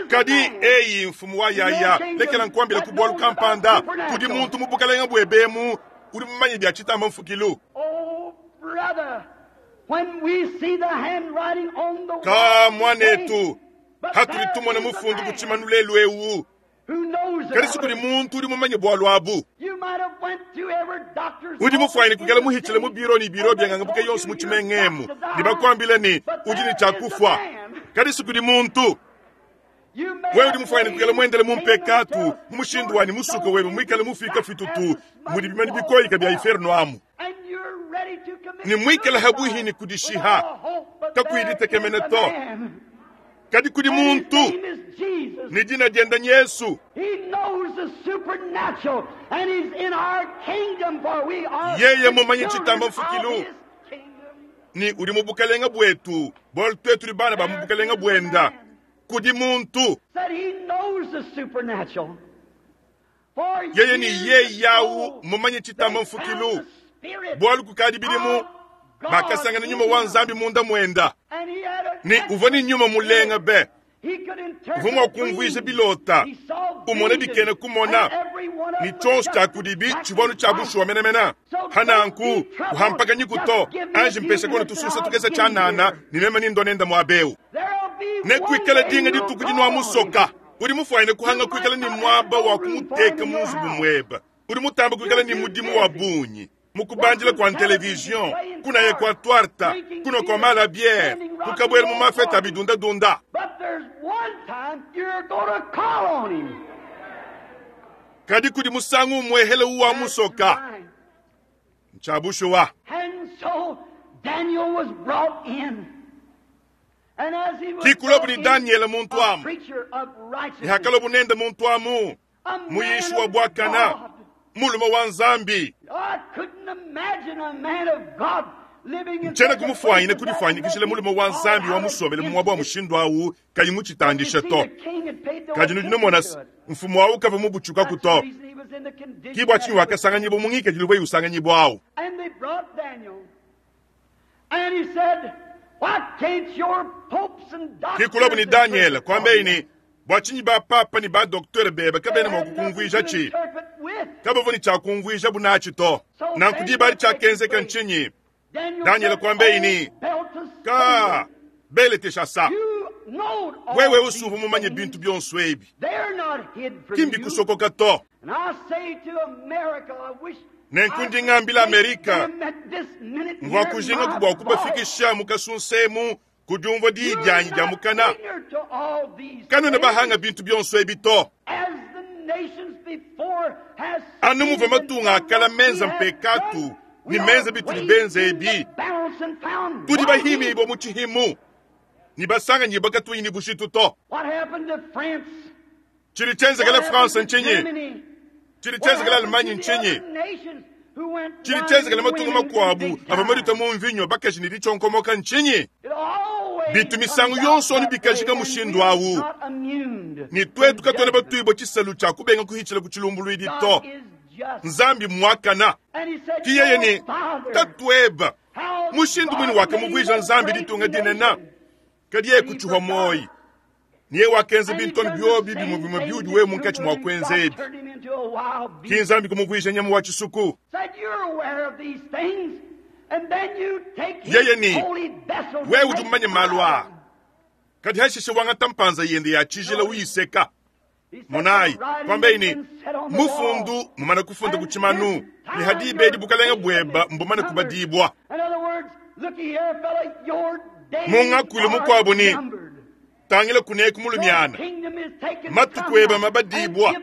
Kadi, eyi, mfumu wa yaya, lekela nkuambila ku bualu kampanda. Kudi muntu mu bukalenge buebe emu udi mumanye bia tshitamba mfukilu. Ka, muanetu, hatudi tumona mufundu ku tshimanu lelu eu, kadi si kudi muntu udi mumanye bualu abu. Udi mufuanyine kuikala muhitshile mu biro ne biro bia ngangabuka yonso mu tshimenga emu ne bakuambila ne, udi ne tshia kufua, kadi si kudi muntu. Wewe udi mufuanyine kuikala muendele mu mpekatu mu mushindu wa ne musuka webe muikale mufika fitutu mudi bimanu bikoyika bia inferno amu ne muikale habuihi ne kudishiha kakuyi ditekemena to. Kadi kudi muntu ne dina diende n'Yesu. Yeye mmumanye tshitamba mfukilu ne udi mu bukalenge buetu, bualu tuetu tudi bana ba mu bukalenge buenda. Kudi muntu. Yeye ne yeye au mmumanye tshitamba mfukilu, bualu kukadi bidimu bakasangana nyuma wa Nzambi munda muenda, ne uvua ne nyuma mulenga be. Uvua mua kumvuija bilota, umona bikena kumona, ne tshionso tshia kudibi tshivua anu tshia bushuwa menemene. Pa nanku, kuhampakanyiku to, anji mpesha kono tususa tukese tshianana, ne meme nindua nenda muaba eu. Nekuikale dinga dituku dinuamusoka. Udi mufuanyine kuhanga kuikala ne muaba wa kumuteka mu nzubu muebe. Udi mutambe kuikala ne mudimu wa bungi mu kubandila kua televizion, kunaya kua tuarta, kunua kua mala a biere, kukabuela mu mafete a bidundadunda. Kadi kudi musangu umuehele uwamusoka. Ntshia bushuwa. Kikulabu ne Danyele muntu amu, ne hakalabu nende muntu amu, muyishi wa buakana, mulume wa Nzambi. Ntshiena kumufuanyine kudifuanyikijila mulume wa Nzambi wa musombele mu muaba wa mushindu au kayi mutshitandishe to. Kadi nudi numona se, mfumu au kavua mubutshukaku to. Ki bua tshinyi wakasanganyibua mu ngikadilu uvuaye usanganyibua au. Ke kuluabu ne Danyele, kuambaye ne, Bua tshinyi ba-papa ne ba-doktere bebe kabena mua kukumvuijatshi? Kabavua ne tshia kumvuijabu natshi to. Nanku diba adi tshiakenzeka ntshinyi? Danyele kuambaye ne, Ka, Beleteshasa, wewe usuvua mumanye bintu bionso ebi, ki mbikusokoka to. Nenku ndi ngambila Amerika, mvua kujingaku bua kubafikisha mu kasunsemu ku diumvua diyi dianyi dia mukana. Kanuena bahanga bintu bionso ebi to. Anu muvua matunga a kala menza mpekatu ne menza bitudi benza ebi, tudi bahimibua mu tshihimu ne basanganyibua katuyi ne bujitu to. Tshidi tshienzekela France ntshinyi? Tshidi tshienzekela Allemagne ntshinyi? Tshidi tshienzekela matunga makuabu avua madita mu mvinyo bakaji ne ditshionkomoka ntshinyi? Bitu misangu yonso anu bikajika mushindu awu. Ne tuetu katuena batuibua tshisalu tshia kubenga kuhitshila ku tshilumbuluidi to. Nzambi mmuakana. Ki yeye ne tatueba mushindu muine wakamuvuija Nzambi ditunga dinene, kadi yeye kutshihua muoyi. Ne yeye wakenza bintu anu biobi bimue bimue biudi wewe munkatshi mua kuenza ebi. Ki Nzambi kumuvuija nyama wa tshisuku. Yeye ne, wewe udi mumanye malu aa, kadi hashishe wangata mpanza yende ya tshijila uyiseka. Monayi, kuambaye ne, mufundu mumane kufunda ku tshimanu, ne ha diba edi bukalenge bueba mbumane kubadibua. Mu ngakuilu mukuabu ne, tangila kuneku mulumiana, matuku eba mabadibua,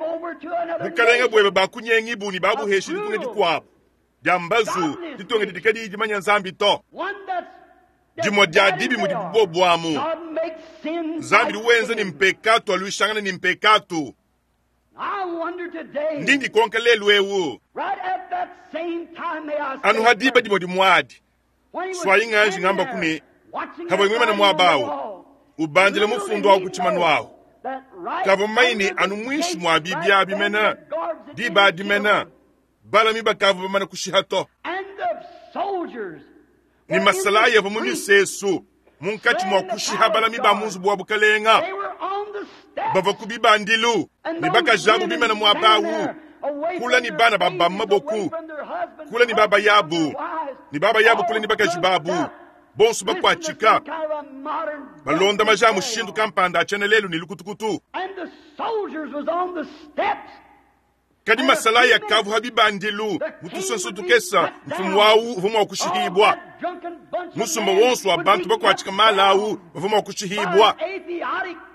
bukalenge bueba bakunyengibu ne babuheshi ditunga dikuabu dia mbazu, ditunga didi kadiyi dimanya Nzambi to. Dimue dia dibi mudi buobuamu, Nzambi udi wenza ne mpekatu aluishangana ne mpekatu. Ndi ndikonka lelu eu, anu ha diba dimue dimuadi, suayi nganji ngamba ku ne, havua muimane muaba awu, ubandila mufundu awu ku tshimanu awu, kavua mumanye ne anu muinshi mua bibi abi mene, diba adi mene, balami bakavua bamane kushiha to. Ne masalayi avua mu misesu munkatshi mua kushiha balami ba mu nzubu wa bukalenga, bavua ku bibandilu ne bakaji abu bimane muaba awu, kula ne bana ba ba maboku, kula ne baba yabu, ne baba yabu kula ne bakaji babu, bonso bakuatshika, balonda maja a mushindu kampanda a tshiena lelu ne lukutukutu. Kadi masalayi akavua ha bibandilu mu tusonso tukesa, mfumu wawu uvua mua kushihibua. Musumba wonso wa bantu bakuatshika mala awu bavua mua kushihibua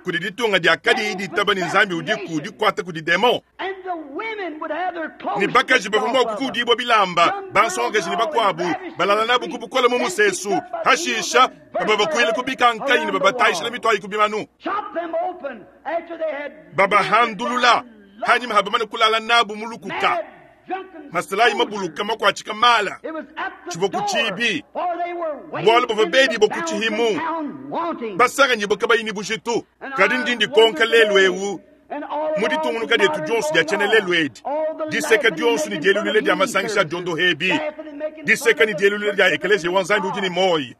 kudi ditunga dia kadiyi ditaba ne Nzambi udiku dikuata kudi demon. Ne bakaji bavua mua kukudibua bilamba, bansongakaji ne bakuabu balala nabu ku bukole mu musesu, hashisha bababakuile ku bikankanyi ne babatayishila mituayi ku bimanu, babahandulula hanyima habamane kulala nabu mu lukuka. Masalayi mabuluka makuatshika mala tshivua ku tshibi, bualu bavua bedibua ku tshihimu, basanganyibua kabayi ne bujitu. Kadi ndi ndikonka lelu eu, mu ditungunuka dietu dionso dia tshiena lelu edi, diseka dionso ne dielulula dia masangisha a diondoha ebi, diseka ne dielulula dia ekeleziya wa Nzambi udi ne muoyo,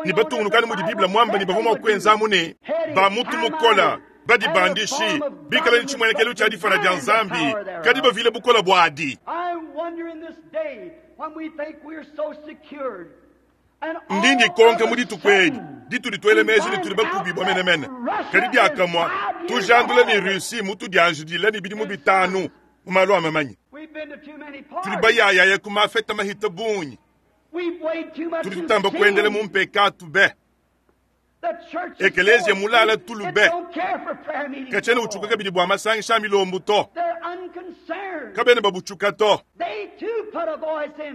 ne batungunukanu mudi Bible muamba ne bavua mua kuenzamu ne ba mutu mukola, badibandishi, bikale ne tshimuenekelu tshia difana dia Nzambi, kadi bavile bukole buadi. Ndi ndikonka mu dituku edi ditudi tuela meji ne tudi bakubibua menemene, kadi diakamua tujandula ne Russie mutudianjidila ne bidimu bitanu mu malu a mamanya. Tudi bayayaya ku mafeta mahita bungi. Tudi tutamba kuendela mu mpekatu be. Ekeleziya mulala tulu be. Katshiena utshuka kabidi bua masangisha a milombu to. Kabena babutshuka to.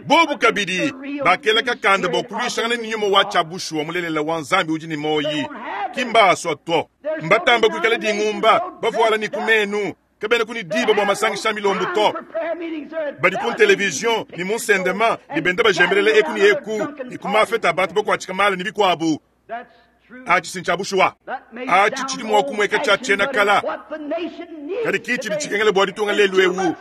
Bobu kabidi bakela kakanda bua kuluishangana ne nyuma wa tshia bushuwa mulelela wa Nzambi udi ne muoyi. Ki mbaasua to. Mbatamba kuikala dingumba, bavuala ne ku menu. Kabena ku ne diba bua masangisha a milombu to. Badi ku televizion ne mu nsendema ne benda bajembelela eku ne eku ne ku mafeta a bantu bakuatshika mala ne bikuabu. Atshi si ntshia bushuwa. Atshi tshidi mua kumueka tshia tshiena kala, kadi ki tshidi tshikengela bua ditunga lelu eu.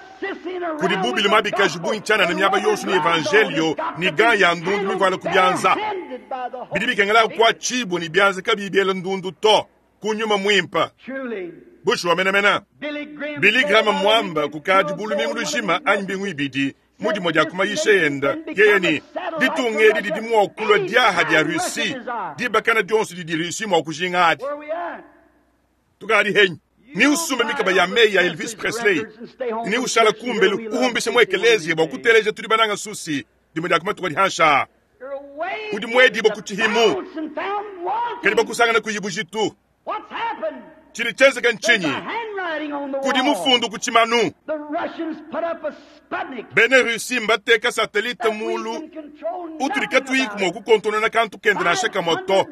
Kudi bubi mabikaji bungi tshianana miaba yonso ne evanjelio ne gants ya ndundu mivuala ku bianza. Bidi bikengela kuatshibua ne bianza kabiyi biela ndundu to, ku nyuma muimpe. Bushuwa menemene, Billy Graham muamba kukadi bu lumingu lujima anyi mbingu ibidi mu dimue dia ku mayisha ende, yeye ne, ditunga edi didi mua kulua diaha dia Russie dibakana dionso didi Russie mua kujinga adi. Tukadi henyi? Ni usumbe mikaba ya meyi ya Elvis Presley ni ushala kumbelu uhumbishe mu ekeleziya bua kuteleja tudi bananga nsusi dimue dia ku matuku adi hanshi aa. Udi muedibue ku tshihimu, kadi bakusangana kuyi bujitu. Tshidi tshienzeka ntshinyi? Kudi mufundu ku tshimanu. Bena Russie mbateka satelite mulu utudi katuyiku mua kukontonona kantu kende nansha kamue to,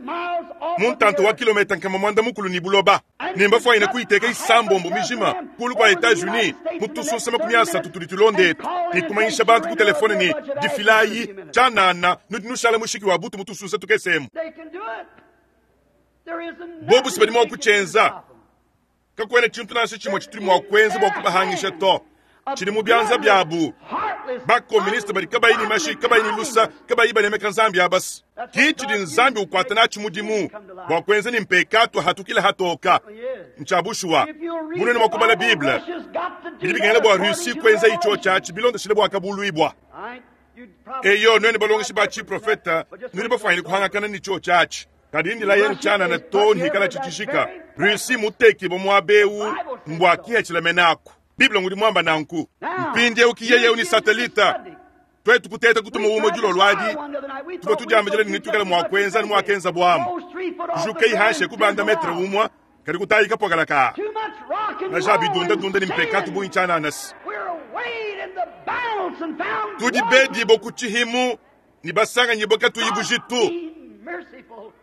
mu ntanta wa kilometa 400 ne buloba, ne mbafuanyine kuyiteka isambombo mijima kulu kua Etats-Unis mu tusunsa 30 tudi tulonda etu, ne kumanyisha bantu ku telefone ne, Difilayi tshianana, nudi nushala mushiki wa butu mu tusunsa tukese emu. Bobu si badi mua kutshienza. Kakuena tshintu nansha tshimue tshitudi mua kuenza bua kubahangisha to. Tshidi mu bianza biabu. Ba-koministe badi kabayi ne mashi, kabayi ne lusa, kabayi banemeka Nzambi abas. Ki tshidi Nzambi ukuata natshi mudimu bua kuenza ne mpekatu ahatukile hatoka. Ntshia bushuwa. Bu nuenu mua kubala Bible, bidi bikengela bua Russie kuenza itshiotshi atshi bilondeshile Buakabuluibua. Eyo, nuenu balongeshi ba tshiprofeta nudi bafuanyine kuhangakana ne tshiotshi atshi. Kadi ndila yenu tshianana to nhikalatshi tshijika. Russie mutekibue muaba eu mbua kihatshila menaku. Bible ngudi muamba nanku. Mpindieu ki yeye eu ne satelite. Tuetu kuteta kutuma umue dilolo adi, tuvua tudiambidila ne netuikale mua kuenza anu muakenzabu amu. Kujukayi hanshi e kubanda metre umue, kadi kutayi kapuakala kaa maja bidundadunda ne mpekatu bungi tshianana se. Tudi bedibue ku tshihimu ne basanganyibue katuyi bujitu.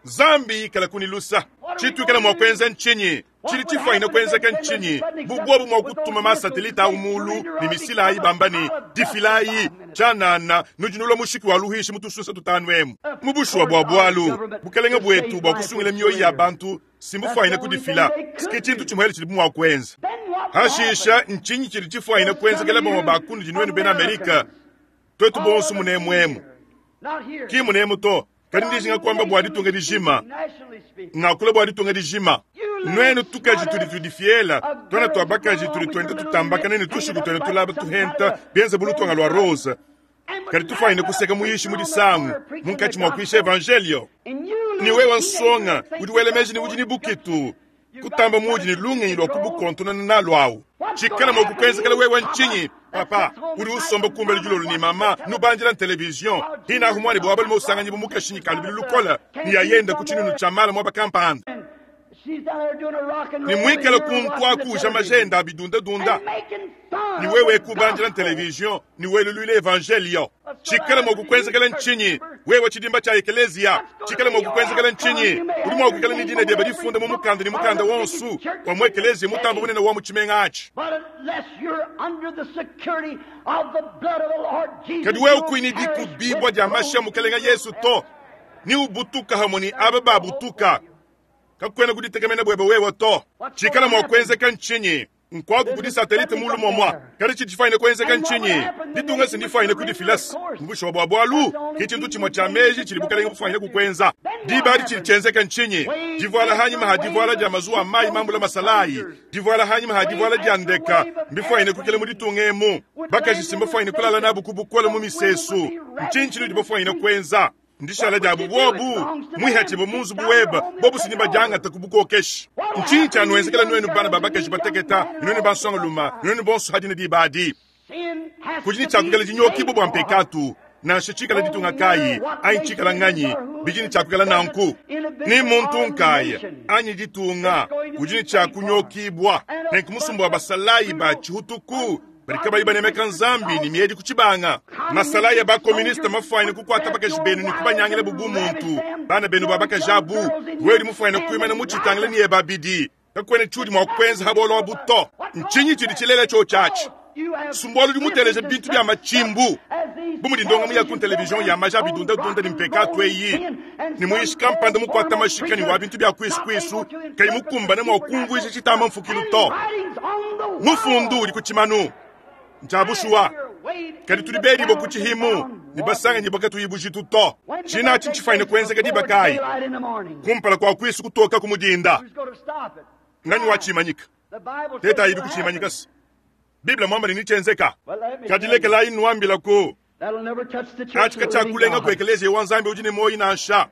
Nzambi ikalaku ne lusa. Tshituikala mua kuenza ntshinyi? Tshidi tshifuanyine kuenzeka ntshinyi bu buobu mua kutuma masatelite au muulu ne misila ayi bamba ne, Difilayi tshianana, nudi nulua mushiki wa luhuishi mu tusunsa tutanu emu? Mu bushuwa bua bualu, bukalenge buetu bua kusungila mioyo ya bantu si mbufuanyine kudifila. Ke tshintu tshimuele tshidibu mua kuenza. Hashisha, ntshinyi tshidi tshifuanyine kuenzekela bamue ba kunudi nuenu bena Amerika? Tuetu bonso munemu emu, ki munemu to, kadi ndijinga kuamba bua ditunga dijima, ngakula bua ditunga dijima. Nuenu tukaji tudi tudifiela, tuana tua bakaji tudi tuenda tutambakana ne tushiku tuenda tulaba tuhenta bienze bu lutonga lua rose, kadi tufuanyine kuseka muyishi mu disangu munkatshi mua kuisha evanjelio. Ne wewe nsonga udi wela meji ne udi ne bukitu kutamba muudi ne lungenyi lua kubukontonona nalu awu. Tshikala mua kukuenzekela wewe ntshinyi? Papa udi usomba kumbelu dilolo ne mama nubandila televizion hinahu muanebe wa balume usanganyibu mukashinyi ka lubilu lukole ne yayenda ku tshinunu tshia mala muaba kampanda ne muikale kuntu aku uja majenda a bidundadunda ne wewe kubandila televizion ne weluluila evanjelio. Tshikala mua kukuenzekela ntshinyi wewe tshidimba tshia ekeleziya? Tshikala mua kukuenzekela ntshinyi? Udi mua kuikala ne dina diebe difunda mu mukanda ne mukanda wonso wa mu ekeleziya mutambe bunene wa mu tshimenga atshi. Kadi wewe kuyi ne dikubibua dia mashi a Mukelenge Yesu to, ne ubutuka hamue ne aba babutuka, kakuena kuditekemena buebe wewe to. Tshikala mua kuenzeka ntshinyi? Nkuaku kudi satelite mulu muamua, kadi tshidi tshifuanyine kuenzeka ntshinyi? Ditunga si ndifuanyine kudifila-se mu bushuwa bua bualu, ke tshintu tshimue tshia meji tshidi bukalenge bufuanyine kukuenza. Diba adi tshidi tshienzeka ntshinyi? Divuala hanyima ha divuala dia mazuwa a mayi mambula masalayi, divuala hanyima ha divuala dia ndeka, mbifuanyine kuikala mu ditunga emu. Bakaji si mbafuanyine kulala nabu ku bukole mu misesu. Ntshinyi tshinudi bafuanyine kuenza? Ndishala diabu buobu muihatshibue mu nzubu webe, bobu si badiangata ku bukokeshi. Ntshinyi tshianuenzekela nuenu bana ba bakaji bateketa, ne nuenu bansongalume, ne nuenu bonso hadi ne diba adi? Kudi ne tshiakuikala dinyokibua bua mpekatu, nansha tshikala ditunga kayi anyi tshikala nganyi, bidi ne tshiakuikala nanku. Ni muntu nkaya anyi ditunga udi ne tshiakunyokibua. Nenku musumba wa basalayi ba tshihutuku badi kabayi banemeka Nzambi ne miedi ku tshibanga. Masalayi a ba-koministe mafuanyine kukuata bakaji benu ne kubanyangilabu bumuntu, bana benu ba bakaji abu. Wewe udi mufuanyine kuimana mu tshitangila ne ebe abidi, kakuena tshiudi mua kuenza ha bualu abu to. Ntshinyi tshidi tshilela tshiotshi atshi? Sumbualu udi muteleja bintu bia matshimbu bu mudi ndongamu ya ku televizion ya maja a bidundadunda ne mpekatu eyi, ne muyishi kampanda mukuata mashika ne wa bintu bia kuisukuisu kayi mukumbane mua kumvuija tshitamba mfukilu to. Mufundu udi ku tshimanu ntshia bushuwa, kadi tudi bedibue ku tshihimu ne basanganyibue katuyi bujitu to. Tshina atshi ntshifuanyine kuenzeka diba kayi? Kumpala kua kuisu kutoka ku mudinda. Nganyi watshimanyika? Tetayi kutshimanyika se Bible muamba ne netshienzeka. Kadi lekelayi nnuambilaku, atshi katshiakulenga ku ekeleziya wa Nzambi udi ne muoyo nansha.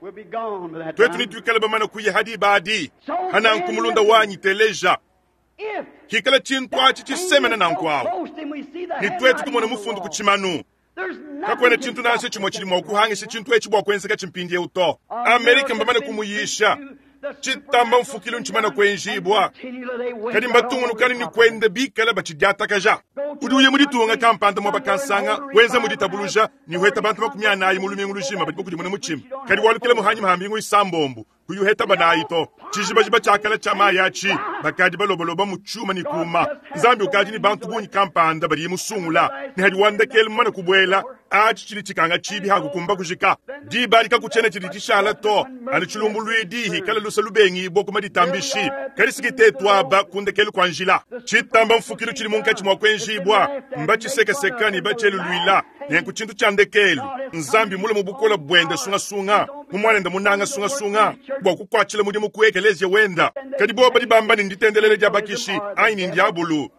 Tuetu netuikale bamane kuya ha diba adi. Hananku mulunda wanyi, teleja. Hikala tshintu atshi tshisemena nanku awu, ne tuetu tumona mufundu ku tshimanu. Kakuena tshintu nansha tshimue tshidi mua kuhangisha tshintu etshi bua kuenzekatshi mpindieu to. Amerika mbamane kumuyisha. Tshitamba mfukilu ntshimane kuenjibua, kadi mbatungunukanu ne kuenda bikale batshidiatakaja. Udi uya mu ditunga kampanda muaba kansanga, wenza mu ditabuluja ne uheta bantu 40 mu lumingu lujima badi bakudimuna mutshima, kadi walukila mu hanyima ha mbingu isambombo kuyi uheta banayi to. Tshijibajiba tshia kale tshia mayi atshi bakadi balobaloba mu tshiuma ne kuma. Nzambi ukadi ne bantu bungi kampanda badiye musungula, ne hadi wa ndekelu mumane kubuela, atshi tshidi tshikanga tshibi ha kukumba kujika. Diba adi kakutshiena tshidi tshishala to, anu tshilumbuluidi hikala lusa lubengibua ku maditambishi. Kadi siki tetu aba ku ndekelu kua njila. Tshitamba mfukilu tshidi munkatshi mua kuenjibua, mbatshisekaseka ne batshieluluila. Nenku tshintu tshia ndekelu, Nzambi mule mu bukole buende sungasunga, mu Muanende munanga sungasunga, bua kukuatshila mudimu ku ekeleziya wenda. Kadi bobu badi bamba ne nditendelela dia bakishi anyi ne ndiabulu.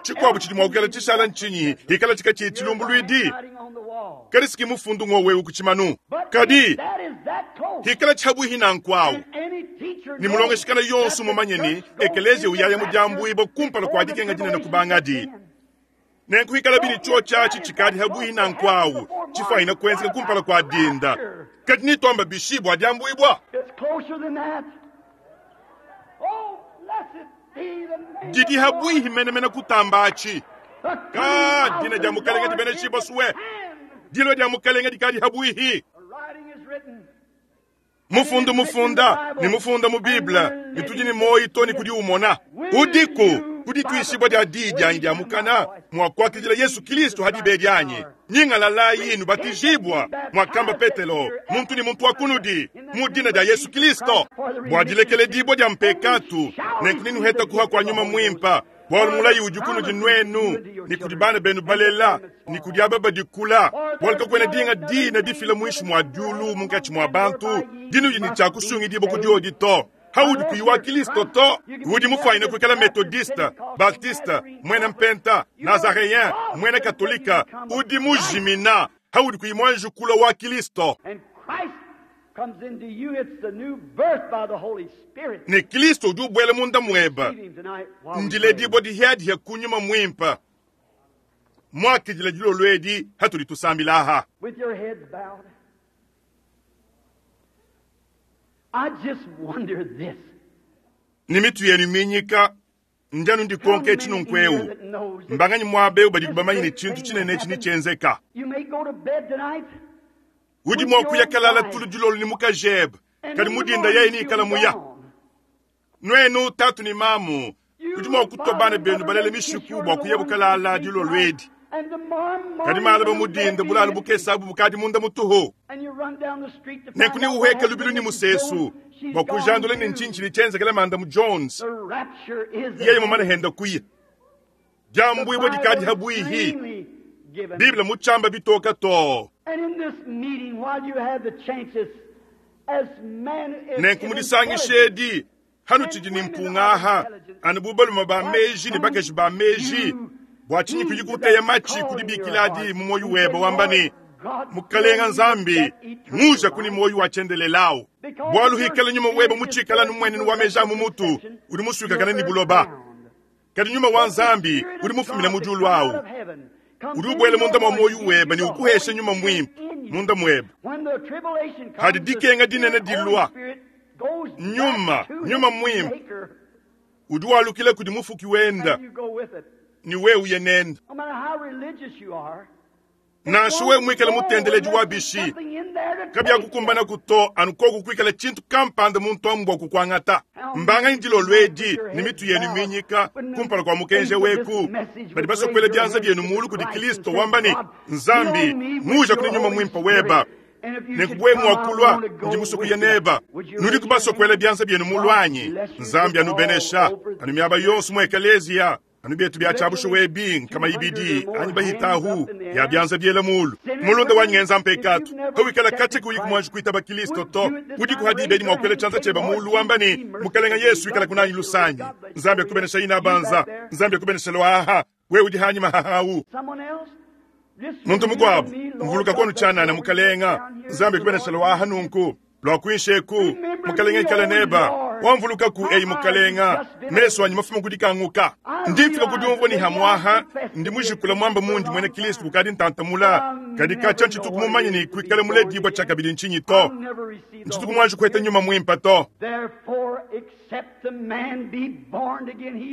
Tshikuabu tshidi mua kuikala tshishala ntshinyi hikala tshikatshiyi tshilumbuluidi? Kadi siki mufundu ng'wowu eu ku tshimanu. Kadi hikala tshiabuihi nanku awu, ne mulongeshikana yonso mumanye ne ekeleziya uyaya mu diambuibua kumpala kua dikenga dinene kubangadi. Nenku hikalabi ne tshiotshi atshi tshikadi habuihi nanku awu, tshifuanyine kuenzeka kumpala kua dinda. Kadi netuamba bishi bua diambuibua? Didi habuihi menemene kutamba atshi. Ka dina dia Mukelenge dibeneshibua sue. Dilua dia Mukelenge dikadi habuihi. Mufundu mufunda ne mufunda mu Bible, ne tudi ne muoyo to ne kudi umona. Udiku ku dituishibua dia diyi dianyi dia mukana mua kuakidila Yesu Kilisto ha diba edi anyi? Nyingalalayi, nubatijibua, muakamba Petelo, muntu ne muntu wa kunudi, mu dina dia Yesu Kilisto, bua dilekeledibua dia mpekatu, nenku nenuheta kuha kua Nyuma Muimpa. Bualu mulayi udi kunudi nuenu ne kudi bana benu balela ne kudi aba badi kula, bualu kakuena dinga dina difila muinshi mua diulu munkatshi mua bantu dinudi ne tshia kusungidibua ku diodi to. Haudi kuyi wa Kilisto to, udi mufuanyine kuikala Methodiste, Baptiste, muena Mpenta, Nazareyen, muena Katolika, udi mujimina haudi kuyi muanji kulua wa Kilisto. Ne Kilisto udi ubuela munda mueba, ndiledibua dihiadihia ku Nyuma Muimpe. Muakidila dilolo edi hatudi tusambila aha. Ne mitu yenu minyika, ndi anu ndikonka etshi nunku eu, mbanganyi muaba eu badi bamanye ne tshintu tshinene etshi netshienzeka? Udi mua kuya kalala tulu dilolo ne mukajebe, kadi mu dinda yeye neikala muya. Nuenu tatu ne mamu, udi mua kutua bana benu balele mishiku bua kuyabu kalala dilolo edi, kadi malaba mu dinda bulalu bukese abu bukadi munda mutuhu. Nenku neuhueke lubilu ne musesu bua kujandula ne ntshinyi tshidi tshienzekela Mandamu Jones yeye mumane henda kuya. Diambuibua dikadi habuihi. Bible mutshiamba bitoka too. Nenku mu disangisha edi hanutshidi ne mpunga aha, anu bu balume ba meji ne bakaji ba meji, bua tshinyi kuyi kuteya matshi ku dibikila adi mu muoyo webe wamba ne, Mukalenga Nzambi, nguja kuni muoyo wa tshiendelele awu. Bualu hikala nyuma webe mutshikala anu muenenu wa meji a mu mutu udi musuikakane ne buloba. Kadi nyuma wa Nzambi udi mufumine mu diulu awu udi ubuela munda mua muoyo webe ne ukuhesha nyuma muimpe munda muebe. Hadi dikenga dinene dilua, nyuma, nyuma muimpe udi walukila kudi mufuki wenda ne wewe uye nende. Nansha wewe muikale mutendeledi wa bishi, kabiakukumbanaku to anu koku kuikala tshintu kampanda muntu amu bua kukuangata. Mbanganyi dilolo edi ne mitu yenu minyika kumpala kua mukenji weku badi basue kuela bianza bienu mulu kudi Kristo wamba ne, Nzambi, nguja kudi nyuma muimpe weba. Nenku buwe mua kulua, ndi musue kuya neba. Nudiku basue kuela bianza bienu mulu anyi? Nzambi anubenesha anu miaba yonso mu ekeleziya. Anu bietu bia tshiabushuwa ebi nkama ibidi anyi bahitahu ya bianza biela mulu. Mulunda wanyi ngenza mpekatu kawikala katshia kuyi kumuanji kuitaba Kilisto to. Udiku ha diba edi mua kuela tshianza tshieba mulu wamba ne, Mukalenga Yesu ikala kunanyi lusanyi. Nzambi akubenesha ina banza. Nzambi akubenesha luaha. Wewe udi hanyima hahawu. Muntu mukuabu mvuluka kono tshianana Mukalenga Nzambi akubenesha luaha nunku. Lua kuinshi eku, Mukalenga ikala neba. Wamvulukaku, eyi Mukalenga, mesu anyi mafuma ku dikanguka. Ndi mfika ku diumvua ne hamuaha ndi mujikula muamba mundi muena Kristo kukadi ntantamula, kadi katshia ntshituku mumanye ne kuikala muledibua tshiakabidi ntshinyi to. Ntshituku muanji kuheta nyuma muimpe to.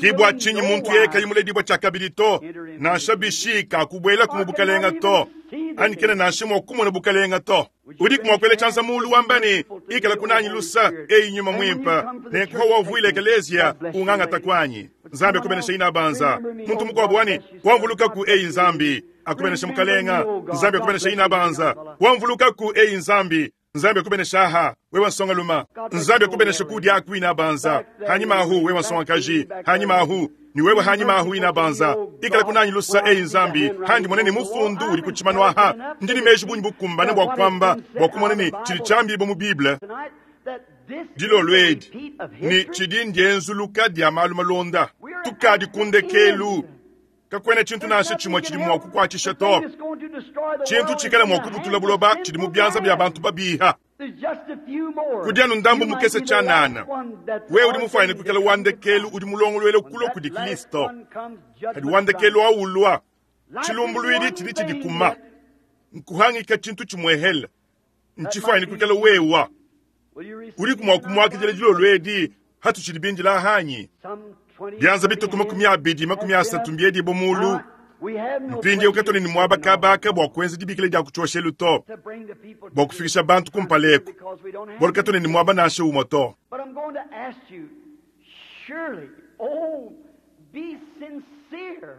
Ke bua tshinyi muntu yeye kayi muledibua tshiakabidi to, nansha bishi kakubuelaku mu bukalenga to, anyi kena nansha mua kumona bukalenga to. Udiku mua kuela tshianza muulu wamba ne, Ikala kunanyi lusa, eyi nyuma muimpe, nenku hawavuila ekeleziya ungangata kuanyi. Nzambi akubenesha inabanza. Muntu mukuabu wani, wamvulukaku eyi Nzambi, akubenesha mukalenga. Nzambi akubenesha inabanza. Wamvulukaku eyi Nzambi, Nzambi akubenesha aha, wewe nsongaluma. Nzambi akubenesha kudi aku inabanza. Hanyima ahu wewe nsongakaji, hanyima ahu ni wewe hanyima ahu inabanza. Ikala kunanyi lusa eyi Nzambi, handi mone ne mufundu udi ku tshimanu aha. Ndi ne meji bungi bukumbane bua kuamba bua kumona ne tshidi tshiambibua mu Bible dilolo edi ne tshidi ndienzuluka dia malu malonda. Tukadi ku ndekelu. Kakuena tshintu nansha tshimue tshidi mua kukuatshisha to. Tshintu tshikala mua kubutula buloba tshidi mu bianza bia bantu babiha. Kudi anu ndambu mukese tshianana. Wewe udi mufuanyine kuikala wa ndekelu udi mulongoluela kulua kudi Kristo. Kadi wa ndekelu aulua, tshilumbuluidi tshidi tshidikuma. Nkuhangika tshintu tshimuehele. Ntshifuanyine kuikala wewa. Udiku mua kumuakidila dilolo edi hatutshidi bindila hanyi? Bianza bituku 20 30 mbiedibua mulu. Mpindieu katuena ne muaba kabaka bua kuenza dibikila dia ku tshioshelu to, bua kufikisha bantu kumpala eku, bualu katuena ne muaba nansha umue to.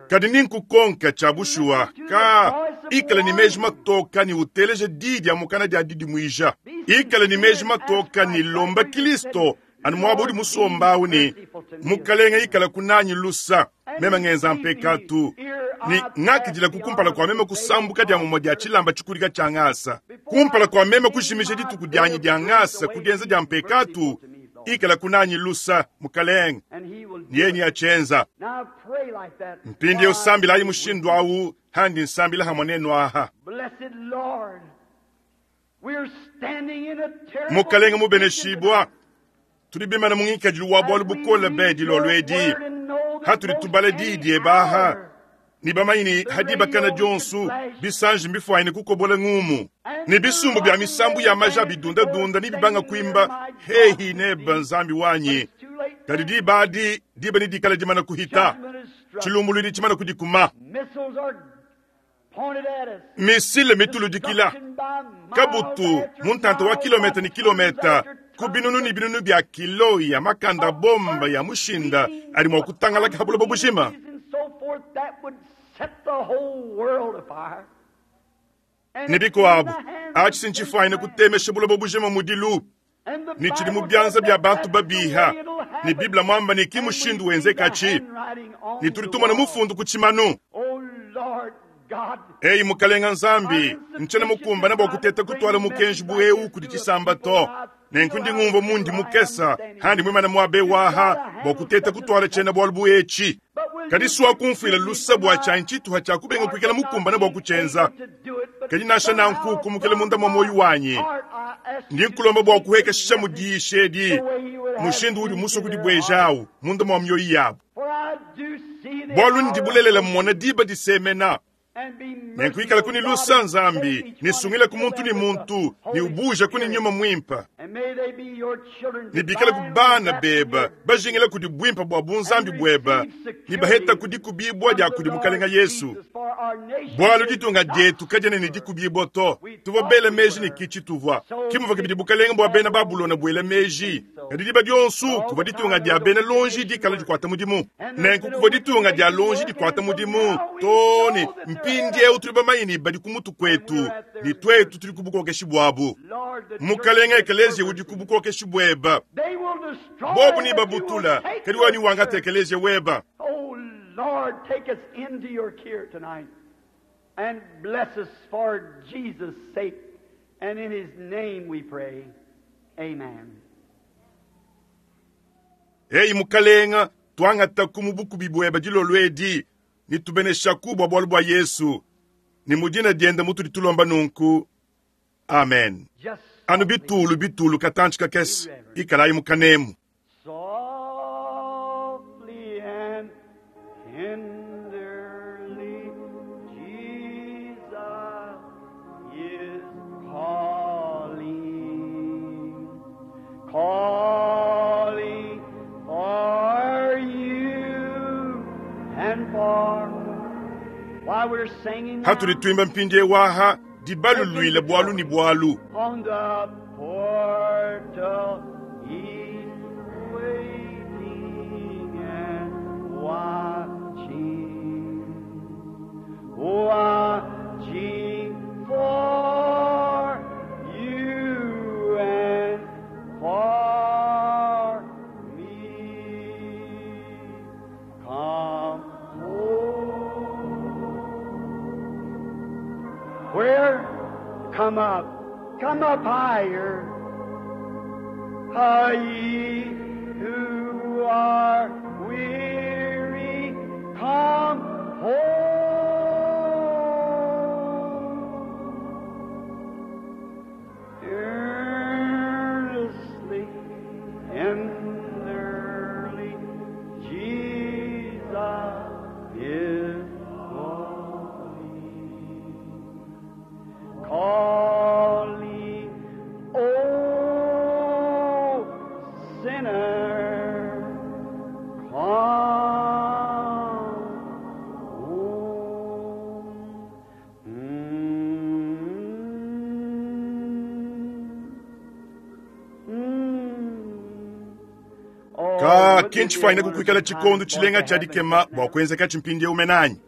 Kadi ni nkukonka tshia bushuwa, ka ikala ne meji matoka ne uteleja diyi dia mukana dia didimuija. Ikala ne meji matoka ne lomba Kristo anu muaba udi musomba awu ne, Mukalenga ikala kunanyi lusa, meme ngenza mpekatu ne ngakidila ku kumpala kua meme kusambuka dia mumue dia tshilamba tshikudika tshia ngasa, kumpala kua meme kujimisha dituku dianyi dia ngasa ku dienza dia mpekatu. Ikala kunanyi lusa, Mukalenga, ne yeye neatshienza. Mpindieu sambilayi mushindu awu handi nsambila hamue nenu aha. Mukalenga mubeneshibua, tudi bimana mu ngikadilu wa bualu bukole be dilolo edi, hatudi tubala diyi diebe aha, ne bamanye ne hadibakana dionso bisanji mbifuanyine kukobola ngumu, ne bisumbu bia misambu ya maja bidundadunda ne bibanga kuimba hehi nebe Nzambi wanyi. Kadi diba adi diba nedikale dimana kuhita, tshilumbuluidi tshimana kudikuma, misile mituludikila kabutu mu ntanta wa kilometa ne kilometa ku binunu ne binunu bia kilo ya makanda bomba ya mushinda adi mua kutangalaka ha buloba bujima. Ne bikuabu, atshi si ntshifuanyine kutemesha buloba bujima mudilu, ne tshidi mu bianza bia bantu babiha, ne Bible muamba ne ki mushindu wenzekatshi, ne tudi tumona mufundu ku tshimanu. Eyi Mukalenga Nzambi, ntshiena mukumbane bua kuteta kutuala mukenji bu eu kudi tshisamba to. Nenku ndi ngumvua mundi mukesa handi muimane muaba eu aha bua kuteta kutuala tshiena bualu bu etshi. Kadi sua kumfuila lusa bua tshianyi tshituha tshia kubenga kuikala mukumbane bua kutshienza. Kadi nansha nanku kumukila munda mua muoyo wanyi, ndi nkulomba bua kuhekesha mu diyisha edi mushindu udi musue kudibuejawu munda mua mioyo yabu. Bualu ndi bulelela mmona diba disemena, nenku ikalaku ne lusa Nzambi, ne sungilaku muntu ne muntu, ne ubuujaku ne nyuma muimpe, ne bikalaku bana bebe bajingila kudi buimpe bua bunzambi buebe, ne bahetaku dikubibua dia kudi Mukalenga Yesu. Bualu ditunga dietu kadiena ne dikubibua to. Tuvua bela meji ne ki tshituvua, ki muvua kabidi bukalenge bua bena Babulona buela meji. Kadi diba dionso kuvua ditunga dia bena lonji dikala dikuata mudimu. Nenku kuvua ditunga dia lonji dikuata mudimu too ne mpindieu tudi bamanye ne badi ku mutu kuetu, ne tuetu tudi ku bukokeshi buabu. Mukalenga ekeleziya udi ku bukokeshi buebe. Bobu ne babutula, kadi wewe newangate ekeleziya webe. Oh Lord, take us into your care tonight and bless us for Jesus' sake. And in his name we pray. Amen. Eyi Mukalenga, tuangataku mu bukubi buebe dilolo edi, ne tubeneshaku bua bualu bua Yesu, ne mu dina diende mutudi tulomba nunku. Amen. Just Anu bitulu bitulu katantshi kakese, ikalayi mu kanemu. Hatudi tuimba mpindieu aha dibaluluile bwalu ne bwalu. On the portal he's waiting and watching, watching for you and for me. Come home. Where? Come up. Come up higher. Ah, ye who are weary, come home. Earnestly, tenderly, Jesus is calling. Calling, oh sinner, come home. Oh, Ka wouldn't it kinchi be a faina wonderful kukwikala time chikondo for it chilenga to cha happen dikema just bwa now? kuenza kachi mpindieu umenanyi.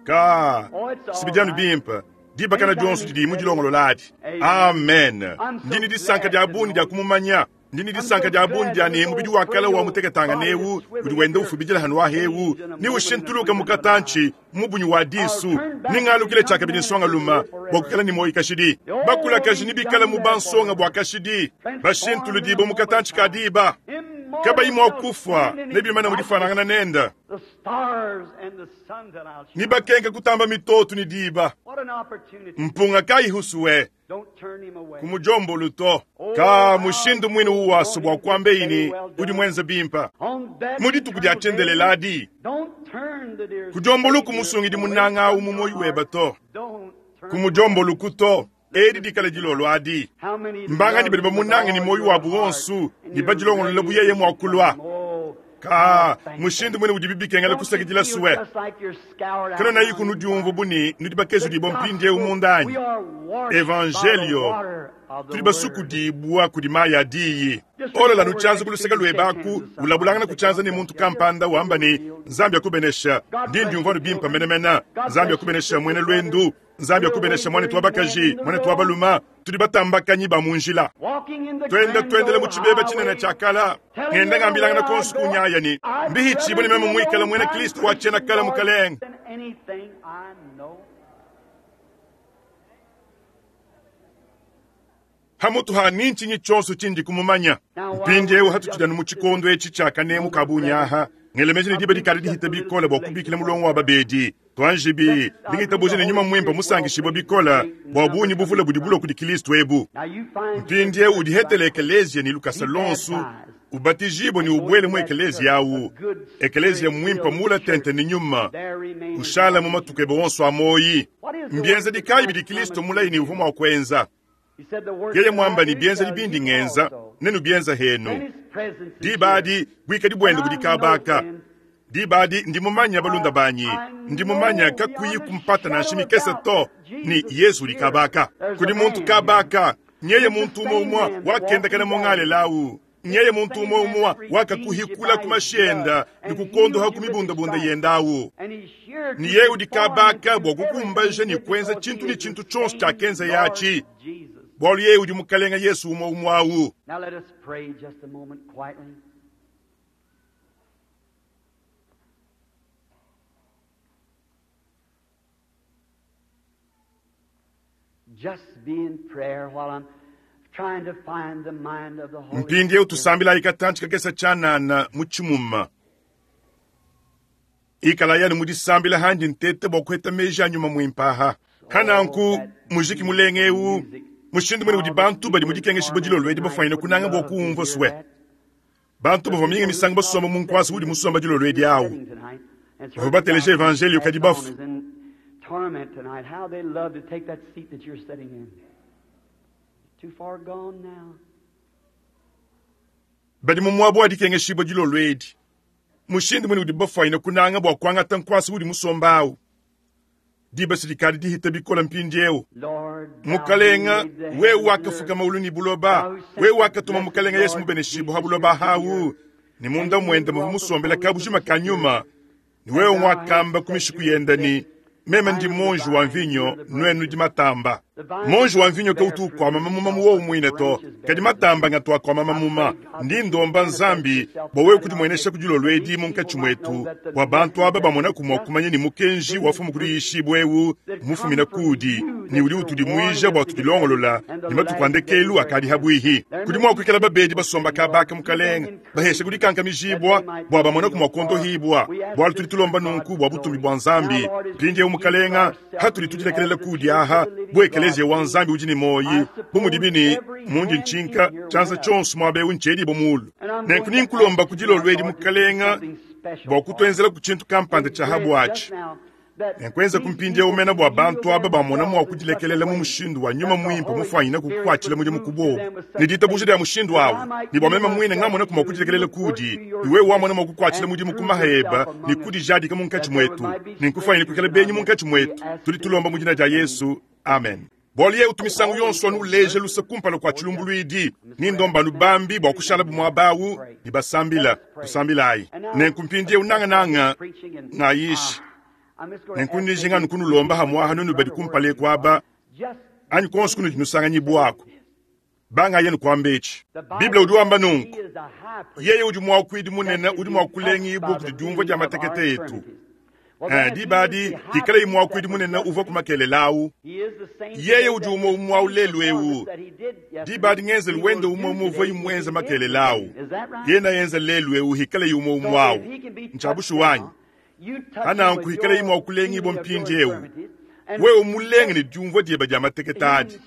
Ka Oh, it's all sibijanu right. bimpa dibakana dionso didi mudilongololadi. Amen. Amen. I'm so Ndini disanka glad dia to buni know dia you. kumumanya. Ndini I'm disanka so dia buni glad dia that ne this mubidi old wa kala wa frail muteketanga body newu is swiveling udi wenda here ufubijila hanu wa hewu changed in a ni moment in the ushintuluka twinkling of an eye. mukatanchi mubunyi wa I'll disu turn back ni and ngalukile become chakabidi man nsonga and luma live forever. bwa kukala ni moyi kashidi The old bakula kashi ni he's bikala done mu there bansonga forever. bwa kashidi Transformed in bashintulu a dibo moment mukatanchi time. ka diba Immortal kabayi mwa shall kufa stand in his nebimana likeness. mudifanangana nenda The stars and the sun that I'll ni shine. bakenka kutamba mitotu ni diba What an opportunity. mpunga kayihusuwe Don't turn him away. kumujombolu to Oh, ka how mushindu mwini you uwaso want bwa him to say, kwambeini well udi done. mwenza bimpa On that mudituku dya eternal day, chendeleladi don't turn the dear kujomboluku Savior musungidi away munanga from umu your moyi weba heart. to Don't turn away. kumujomboluku to edi dikala dilolo adi How many mbanga love ni badi him with bamunanga ni all moyi your wabu heart wonsu and ni you're badilongolola ready buyeye to mwakulwa come? Oh, ka how thankful. mushindu mwene udi bibikengela Don't you kusakidila feel suwe just like you're scoured out kano now nayi kunudiumvu inside? buni nudi bakezu The dibo mpindie gospel, we umundanyi are washed by the evangelio water of the tuli Word. basukudibwa kudi mayi adiyi Just reach olola over nuchanza next to kuluseka you and shake hands lwebaku with somebody ulabulangana and say, kuchanza God ni bless muntu you. Just kampanda wamba do the ni deal. nzambi akubenesha God ndi bless you, ndiumvanu bimpa children. menemena God nzambi bless you, akubenesha mwene sisters, brothers. lwendu nzambi We're akubenesha mwane wandering twa men bakaji in the mwane twa road, baluma tuli batambakanyi ba munjila walking in the twenda grand twendele mu old chibeba chinene highway, chakala telling ngenda ngambilangana everywhere I konsu go, kunyaya ni I'd mbihichibwe rather ni be meme an mwikala old mwene time kristu wachena Christian, kala Lord, mukalenga than anything I know. hamutu ha ninchinyi chonso chindi kumumanya Now, while mpindiewu we're hatuchidanu just mu chikondo echi chakanemu moment kabunyaha present, ngelemeje ni I diba believe dikali it's just dihita a little bikola too bwa late kubikila to mulongo wa apologize. babedi twanjibi Let's, I believe the ndingitabuze ne nyuma Holy mwimpa Spirit well musangishibwa pleased bikola great bwa number bunyi buvula coming budi bulo from. kudi kristu ebu Now you find mpindiewu churches udihetele like ekeleziya ni lukasa be lonsu baptized ubatijibwe ni and go ubwele to mu that ekeleziya church, a awu good ekeleziya spirit mwimpa filled mula church. tente ni nyuma There remains ushala mu one. matuku ebe wonso amoyi What is the mbyenza work that dikayi Christ bidi kristo promised mulayi you ni to uvuma do? wa kwenza He said, The works yeye that I mwamba ni do byenza shall libindi you ngenza also. nenu byenza Then henu his presence is here. dibadi bwikadi And bwende I budi know, kabaka friends, dibadi ndimumanya balunda I, banyi I ndimumanya know kakuyi beyond a kumpata shadow nanshi of mikese doubt to that ni Jesus yesu is uli here. kabaka There's a kuli muntu man here. kabaka nyeye He's the muntu umwe same umwa man that walked wakendakana in mong'ale Galilee. lawu He's nyeye the muntu same umwe man umwa that redeemed you wakakuhikula by his blood kumashenda and healed nikukondoha you with his kumibundabunda stripes. yendawu And he's here ni to yeye udi perform and kabaka to bwa do everything kukumbaja he ni did kwenza because chintu he ni is the chintu chonse same chakenza Lord yachi Jesus. bwalu yeye udi mukalenga yesu umwe umwe awu Now let us pray just a moment quietly. Just be in prayer while I'm trying to find the mind of the Holy mpindiewu Spirit. tusambila ikatanchi kakesa chanana mu chimuma ikala yani mudisambila handi ntete bwa kuheta meji anyuma mwimpaha Oh, hananku that muziki beautiful mulengewu music. mushindu mwene How udi the bantu badi people in mudikengeshibwa torment dilolo edi tonight bafaine would kunanga bwa love to kuumva hear suwe that. bantu The bava mingi people who misango saw basomba the mu nkwasi session udi that musomba dilolo edi you're awu sitting tonight, and it's bava heard the bateleja gospel evangelio kadi passed on bafu is in torment tonight. How they love to take that seat that you're sitting in. Too far gone now. badi mu muabu wa dikengeshibwa dilolo edi mushindu mwene udi bafaine kunanga bwa kuangata nkwasi udi musomba awu Diba sidikadi dihita bikola mpindieu. Mukalenga, wewe wakafuka maulu ni buloba, wewe wakatuma mukalenga Yesu mubeneshibu ha buloba hawu, ni munda mwenda muvu musombela kabujima ka nyuma, ni wewe mwakamba kumishiku yenda ni meme ndi monji wa mvinyo nwenu di matamba. Monji wa mvinyo kautu kwama mamuma muwo mwine to, kadi matamba ngatwa kwama mamuma. Ndi ndomba nzambi bwa wewe kudimwenesha kudilolwedi munkatshi mwetu, bwa bantu aba bamona kumwa kumanya ni mukenji wafumu kudi bwewu mufumina kudi ni udi utudimuija bwa tudilongolola ni matuku andekelu akadi habwihi. Kudi mwa kuikala babedi basomba kabaka mukalenga bahesha kudikankamijibwa bwa bamona kumwa kondohibwa bwalu tudi tulomba nunku bwa butumbi bwa nzambi. Mpindieu mukalenga hatuli tudilekelela kudi aha bwekelezia wa nzambi udi ni moyi bumudibini mundi nchinka chanza chonso mwabe unchedi bomulu. Nenku ninkulomba kudilolwedi mukalenga bwa kutwenzela kuchintu kampanda cha habwachi. Nenkuenza kumpindia umena bwa bantu aba bamona mwa kudilekelela mu mushindu wa nyuma mwimpe mufanyina kukwachila mudimu kubobu. Ni ditabuja lya mushindu awu, ni bwa mema mwine ngamona kumwa kudilekelela kudi, iwe wamona mwa kukwachila mudimu kumaheba ni kudijadika munkatshi mwetu. Ninkufanyina kukela benyi munkatshi mwetu. Tudi tulomba mu jina lya Yesu. Amen. Bwaliye utumisangu yonso anu uleje lusa kumpala kwa chilumbuluidi ni ndomba nubambi bwa kushala bumwabawu ni basambila tusambilayi. Nenkumpindie unangananga ngayishi. Nenkunijinga nukunulomba hamwaha nunu badi kumpale kwaba anyi konso kunu dinusanganyibwako banga yenu kwambechi. Biblia udi wamba nunku yeye udi mwakwidi munene udi mwakulengi ibwe kudi diumvua dia matekete etu. Dibadi dikala imwakwidi munene uvua kumakelelawu yeye udi umwe umwa ulelu ewu. Dibadi ngenzelu wende umwe umwe uvua imwenza makelelawu yena yenza lelu ewu hikala imwe umwawu nchabushu wanyi hananku hikala imwa kulengi ibwe mpindi ewu wewe mulenge ni diumvua dieba dia mateketadi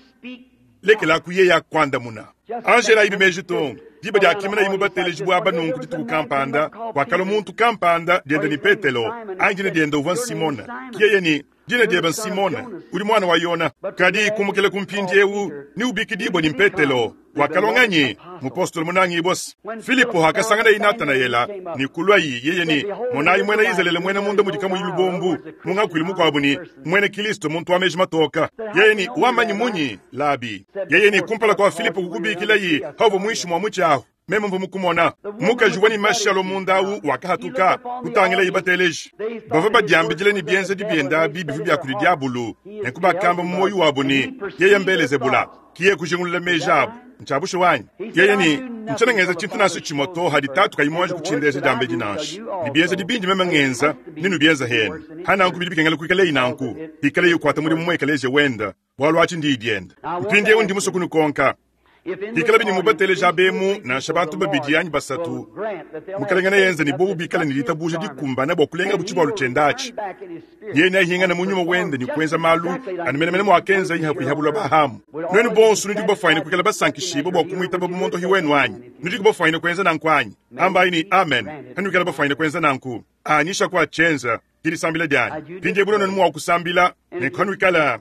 lekela ku yeye akwandamuna. Angela ibi meji tonga diba dia kimena imu bateleji bwa banunku dituku kampanda wakalo muntu kampanda dienda ni Petelo angine dienda uva Simona kiyeye ni dina dieba Simona uli mwana wa Yona kadi kumukele kumpindi ewu ni ubikidibwa ni Petelo wakalonganyi mupostolo munangi bosi Filipo hakasangana inatanaela ni kulwayi yeye ni monayi mwena Israeli mwena munda mudika mu lubombu mungakwili mukwabu ni mwene Kristo muntu wameji matoka yeye ni wamanyi munyi labi yeye ni kumpala kwa Filipo kukubikila yi havo mwishi mwa muchaho meme mvu mukumona mukaji wani mashalo mundawu wakahatuka kutangila ibateleji bava badiambidile ni bienza dibienda bibi bya kuli diabulu nekubakamba mu moyo wabo ni yeye mbelezebula kiye kujingulula mejabu nchabusho wanyi yeye ni nchanengeza chintu naso chimoto hadi tatu kayimwaje kuchindeza jambe dinashi ni bienza dibindi meme ngenza ninu bienza hene hana nkubili bikengela kuikale inanku ikale yukwata muri mumwekeleze wenda bwalwachi ndi dienda mpindi ndi musokunu konka ikala bini mubatele jabemu na shabantu babidi yanyi basatu mukalengana yenze ni bobu bikala ni litabuja dikumbana bwa kulenga buchibwa luchendachi yeye nahinga na munyuma wende ni kwenza malu animenemene mwakenza ihapu ihabulwa bahamu nwenu bonsu nudi kubafaine kukela basankishibo bwa kumwita babu monto hiwenu anyi nudi kubafaine kwenza nanku anyi ambayi ni amen hanukela bafaine kwenza nanku anyisha kwa chenza kilisambila dyani pindi ebuno nonu mwakusambila nekhanwikala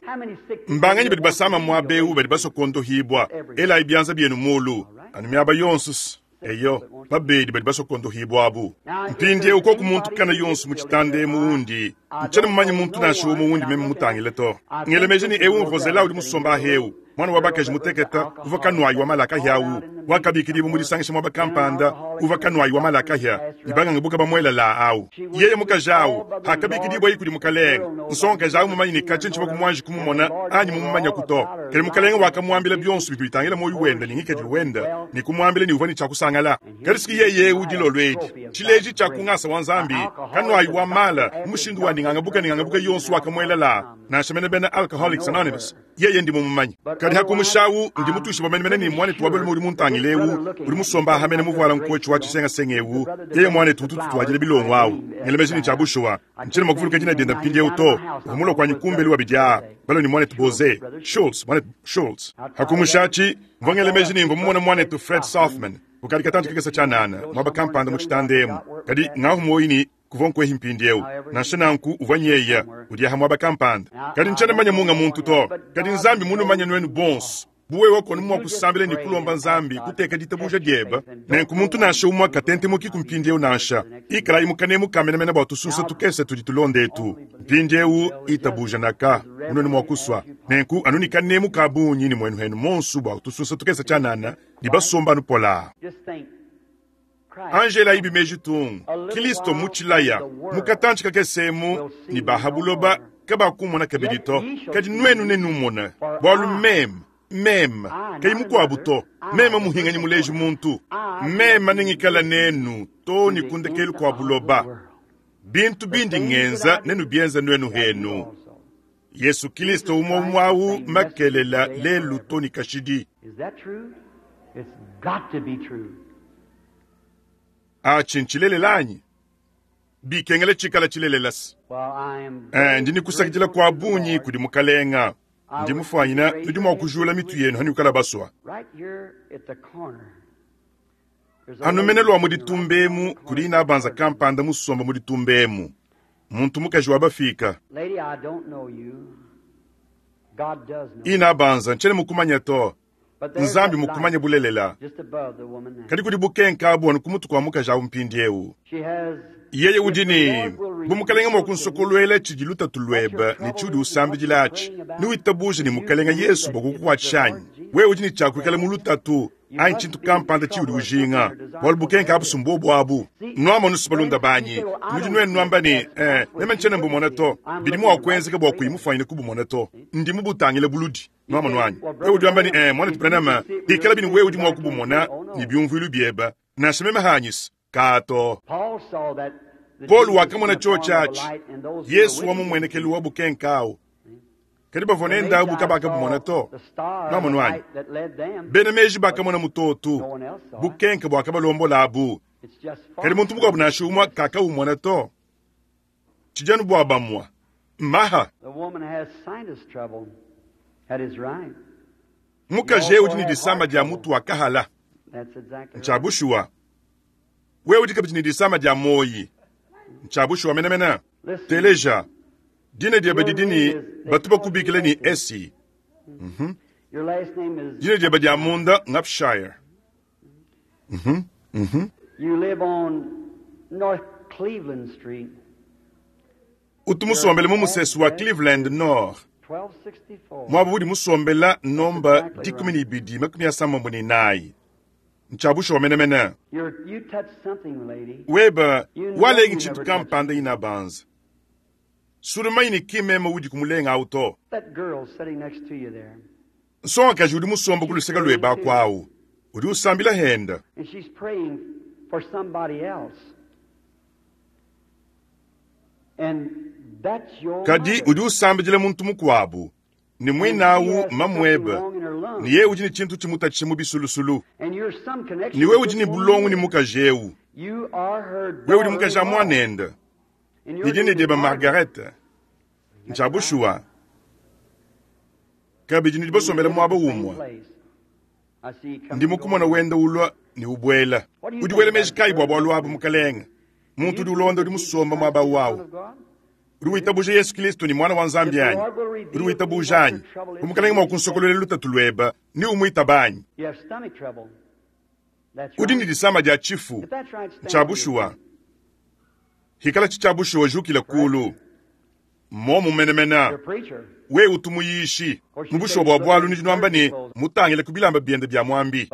mbanganyi badi basama mwabeu badi basokondohibwa ela ibyanza byenu mulu anu myaba yonsu eyo babedi badi basokondohibwa abu mpindi uko kumuntu kana yonsu muchitande muundi nchana mumanyi muntu nasho muundi meme mutangile to ngelemeje ni ewu Rosela udi musomba heu mwana wa bakaji muteketa uva kanwayi wa malaka hyawu wakabikilibu mulisangisha mwa bakampanda uva kanwayi wa malaka hya ibanganga buka bamwela la awu yeye mukajawu hakabikilibwa ikuli mukalenga nsonga jawu mumanyi ni kachinchi bakumwanji kumumona anyi mumumanya kuto kele mukalenga wakamwambila byonsu bitwitangila moyo wenda ni ngikedi wenda ni kumwambila ni uva ni chakusangala kalisiki yeye udilolwedi chileji chakungasa wa nzambi kanwayi wa mala mushindu wa ningangabuka ningangabuka yonsu wakamwela la nashamene bena Alcoholics Anonymous yeye ndi mumumanyi kadi hakumushawu ndi mutushi bamenemene ni mwane tuwabele muri muntangilewu uri musomba hamene muvuala nkochi wa chisengasengewu yeye mwane tutu tuwajile bilongo awu ngelemeje ni chabushuwa nchini makufuluka jina dienda mpindi uto humulo kwa nyikumbeli wa bijaa balo ni mwane tuboze Schultz mwane Schultz hakumushachi mvongelemeje ni mvumona mwane tu Fred Sothman ukali katantu kikesa chanana mwaba kampanda muchitandemu kadi ngahu moyini kuvonkwehi mpindi nansha nanku uvanyeya udi aha mwaba kampanda kadi nchana manya munga muntu to kadi nzambi munu manya nwenu bonso Bu wewe konu mua kusambila ne kulomba Nzambi kuteka ditabuja diebe, nenku muntu nansha umue katentemuki ku mpindieu nansha. Ikalayi mu kanemu ka menemene bua tusunsa tukese tudi tulonda etu. Mpindieu itabuja naka munuenu mua kusua. Nenku anu ne kanemu ka bungi ne muenu henu monsu bua tusunsa tukese tshianana ne basomba anu polaa. Anji elayibi meji tung, Kilisto mu tshilaya, mu katantshi kakese emu, ne ba ha buloba kabakumona kabidi to, kadi nuenu nenumone, bualu meme, meme, kayi mukuabu to, meme muhinganyi muleji muntu, meme nengikala nenu to ne ku ndekelu kua buloba. Bintu bindi ngenza nenubienza nuenu henu. Yesu Kilisto umue umue au makelela, lelu to ne kashidi. Atshi ntshilelela anyi? Bikengela tshikala tshilelela se. Eh, ndi ne kusakidila kua bungi kudi Mukalenga. Ndi mufuanyina nudi mua kujula mitu yenu hanuikala basua. Anu mene lua mu ditumba emu kudi inabanza kampanda musomba mu ditumba emu, muntu mukaji wa bafika. Inabanza ntshiena mukumanya to. Nzambi mukumanye bulelela. Kadi kudi bukenka abu anu ku mutu kua mukaji awu mpindiewu. Yeye udi ne, bu Mukalenge mua kunsokoluela tshidi lutatu luebe ne tshiudi usambidila atshi, newitabuje ne Mukalenge Yesu bua kukukuatshisha anyi? Wewe udi ne tshia kuikala mu lutatu anyi tshintu kampanda tshiudi ujinga, bualu bukenka abu si mbuobu abu. Nuamonusu balunda banyi, nudi nuenu nuamba ne, Eh, meme ntshiena mbumona to. Bidi mua kuenzeka bua kuyi mufuanyine kubumona to. Ndi mubutangile buludi. Nuamonu anyi? Wewe udi wamba ne, Eh, muanetu Branham, bikalabi ne wewe udi mua kubumona ne biumvuilu biebe, nansha meme hanyisa. Kaa to. Paulo wakamona tshiotshi atshi, Yesu wa mu mmuenekelu wa bukenka au. Kadi bavua nende abu kabakabumona to. Nuamonu anyi? Bena meji bakamona mutotu, bukenka buakabalombola abu. Kadi muntu mukuabu nansha umue kakawumona to. Tshidi anu bua bamue. Maha. Mukaji eu udi ne disama dia mutu wa kahala. Ntshia bushuwa. Wewe udi kabidi ne disama dia muoyi. Ntshia bushuwa menemene. Teleja. Dina diebe didi ne batu bakubikila ne Essie. Mm -hmm. Dina diebe dia munda ng'Upshire. Mm -hmm. Mm -hmm. You live on North Cleveland Street. Utu musombele mu musesu wa Cleveland Nord. Muaba udi musombela nomba 1264. Ntshia bushuwa menemene. Weba walengi tshintu kampanda inabanza. Sulumanyi ne ki meme udi kumulenga au to. Nsongakaji udi musomba ku luseke luebe aku au udi usambila henda. Kadi udi usambidila muntu mukuabu, ne muine au mmamuebe, ne yeye udi ne tshintu tshimutatshisha mu bisulusulu. Ne wewe udi ne bulongo ne mukaji eu. Wewe udi mukaji a muanende, ne dina diebe Margarete. Ntshia bushuwa. Kabidi nudi basombele muaba umue. Ndi mukumona wenda ulua ne ubuela. Udi wela meji kayi bua bualu abu, Mukalenge? Muntu udi ulonda udi musomba muaba au. Udi witabuja Yesu Kristo ne Muana wa Nzambi anyi? Udi witabuja anyi? Bu Mukalenge mua kunsokoluela lutatu luebe, neumuitaba anyi? Udi ne disama dia tshifu. Ntshia bushuwa. Hikalatshi tshia bushuwa, jukila kulu. Mmuomu menemene. Wewe utu muyishi. Mu bushuwa bua bualu nudi nuamba ne, Mutangile ku bilamba biende bia muambi.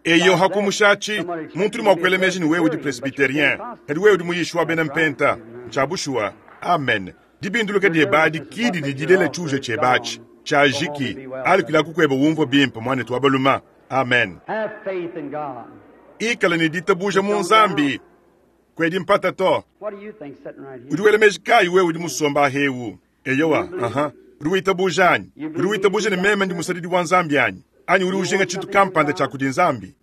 Eyo, ha kumusha atshi, muntu udi mua kuela meji ne wewe udi presbyterien, kadi wewe udi muyishi wa bena mpenta. Ntshia bushuwa. Amen. Dibinduluka diebe adi ki didi dilela tshiuja tshiebe atshi. Tshiajiki. Alukila ku kuebe umvue bimpe, muanetu wa balume. Amen. Ikala ne ditabuja mu Nzambi. Kuedi mpata to. Udi wela meji kayi wewe udi musomba ahewu? Eyowa, aha. Udi witabuja anyi? Udi witabuja ne meme ndi musadidi wa Nzambi anyi? Anyi udi ujinga tshintu kampanda tshia kudi Nzambi?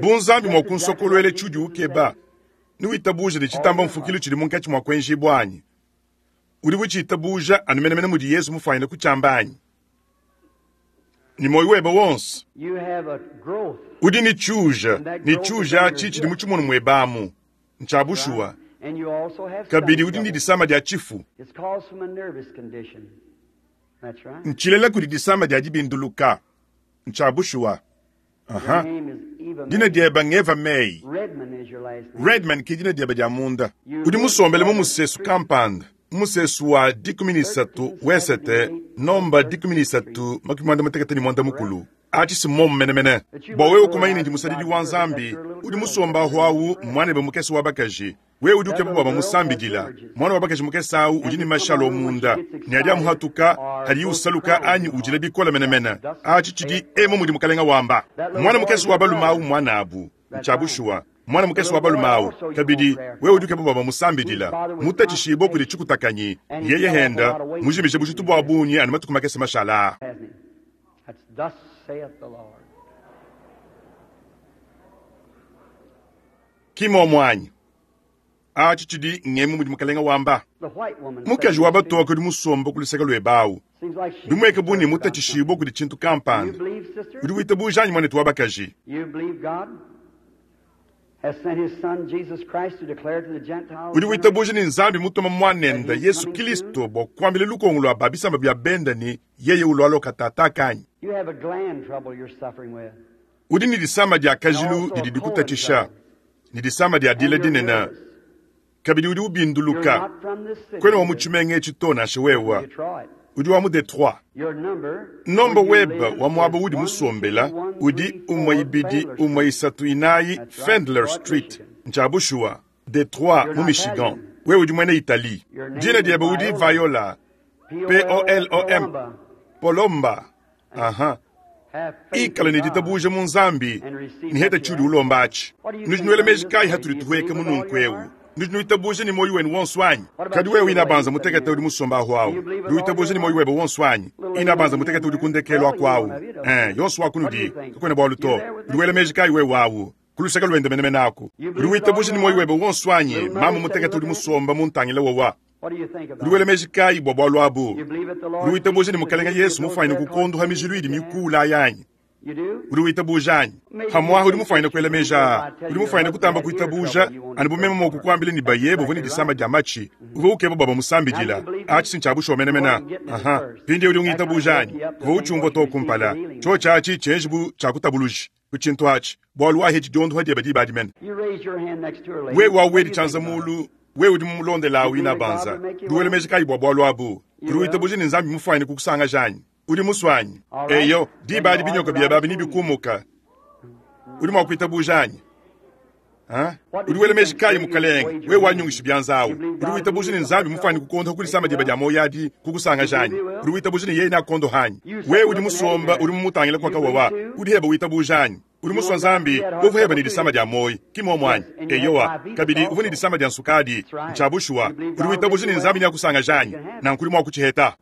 Bu Nzambi mua kunsokoluela tshiudi ukeba, newitabuje ne tshitamba mfukilu tshidi munkatshi mua kuenjibua anyi? Udi utshitabuja anu menemene mudi Yezu mufuanyine kutshiamba anyi? Ne muoyo webe wonso. Udi ne tshiuja, ne tshiuja atshi tshidi mu tshimono muebe amu. Ntshia bushuwa. Kabidi udi ne disama dia tshifu. Ntshilela kudi disama dia dibinduluka. Ntshia bushuwa. Aha. Dina diebe ng'Eva May. Redman ke dina diebe dia munda. Udi musombele mu musesu kampanda, mu musesu wa 13 wesete, nomba 13 53. Atshi si mmomu menemene. Bua wewe kumanya ne ndi musadidi wa Nzambi, udi musombe ahu awu mmuanebe mukese wa bakaji. Wewe udi ukeba bua bamusambidila. Muana wa bakaji mukese awu udi ne mashi alua munda, ne adi amuhatuka hadiye usaluka anyi udila bikole menemene. Atshi tshidi emu mudi Mukalenga wamba. Muana mukese wa balume awu mmuanabu. Ntshia bushuwa. Muana mukese wa balume awu. Kabidi, wewe udi ukeba bua bamusambidila. Mutatshishibue kudi tshikutakanyi, yeye henda mujimije bujitu bua bungi anu matuku makese mashala aa. Ki muomu anyi? Atshi tshidi ngemu mudi Mukalenga wamba. Mukaji wa batoke udi musombe ku luseke luebe awu, bimueke bu ne mutatshishibue kudi tshintu kampanda. Udi witabuja anyi, muanetu wa bakaji? Udi witabuja ne Nzambi mutuma Muanende, Yesu Kilisto, bua kuambila lukongo lua ba bisamba bia bende ne yeye ulualua katataka anyi? Udi ne disama dia kajilu didi dikutatshisha, ne disama dia dila dinene, kabidi udi ubinduluka. Kuena wa mu tshimenga etshi to, nansha wewe. Udi wa mu Detroit. Nomba webe wa muaba uudi musombela udi umue ibidi umue isatu inayi Fendler Street. Ntshia bushuwa, Detroit, mu Michigan. Wewe udi muena Italie. Dina diebe udi Viola, P-o-l-o-m, Polomba. Aha. Ikala ne ditabuja mu Nzambi ne heta tshiudi ulomba atshi. Nudi nuela meji kayi hatudi tuhueka mu nunku eu? Nudi nuitabuja ne muoyo wenu wonso anyi? Kadi wewe inabanza mutekete udi musomba ahu awu, udi witabuja ne muoyo webe wonso anyi? Inabanza mutekete udi ku ndekelu aku awu. Eh, yonso wa kunudi, kakuena bualu to. Udi wela meji kayi wewe awu? Ku luseke luende menemene aku. Udi witabuja ne muoyo webe wonso anyi? Mamu mutekete udi musomba muntangile wowa. Udi wela meji kayi bua bualu abu? Udi witabuja ne Mukalenge Yesu mufuanyine kukondoha mijilu idi mikuula ayi anyi? Udi witabuja anyi? Pamuapa udi mufuanyine kuela meji aa. Udi mufuanyine kutamba kuitabuja anu bu meme mua kukuambila ne bayebe uvua ne disama dia matshi, uvua ukeba bua bamusambidila. Atshi si ntshia bushuwa menemene. Aha. Mpindieu udi ungitabuja anyi? Kuvua utshiumvua too kumpala. Tshiotshi atshi tshienji bu tshia kutabuluji ku tshintu atshi, bualu wahetshi diondoha diebe diba adi mene. Wewe au wedi tshianza mulu, wewe udi mumulondela au inabanza. Udi wela meji kayi bua bualu abu? Udi witabuja ne Nzambi mufuanyine kukusangaja anyi? Udi musue anyi? Eyo, diba adi binyoka biebe abi nebikumuka. Udi mua kuitabuja anyi? Ha? Udi wela meji kayi, Mukalenge? Wewe wanyungishi bianza awu. Udi witabuja ne Nzambi mufuanyine kukondoha ku disama diebe dia muoyo adi, kukusangaja anyi? Udi witabuja ne yeye neakondoha anyi? Wewe udi musomba, udi mumutangila kwa kawawa. Udi heba witabuja anyi? Udi musua Nzambi, uvua heba ne disama dia muoyo, ki muomu anyi? Eyowa. Kabidi, uvua ne disama dia nsukadi. Ntshia bushuwa. Udi witabuja ne Nzambi neakusangaja anyi? Nanku udi mua kutshiheta.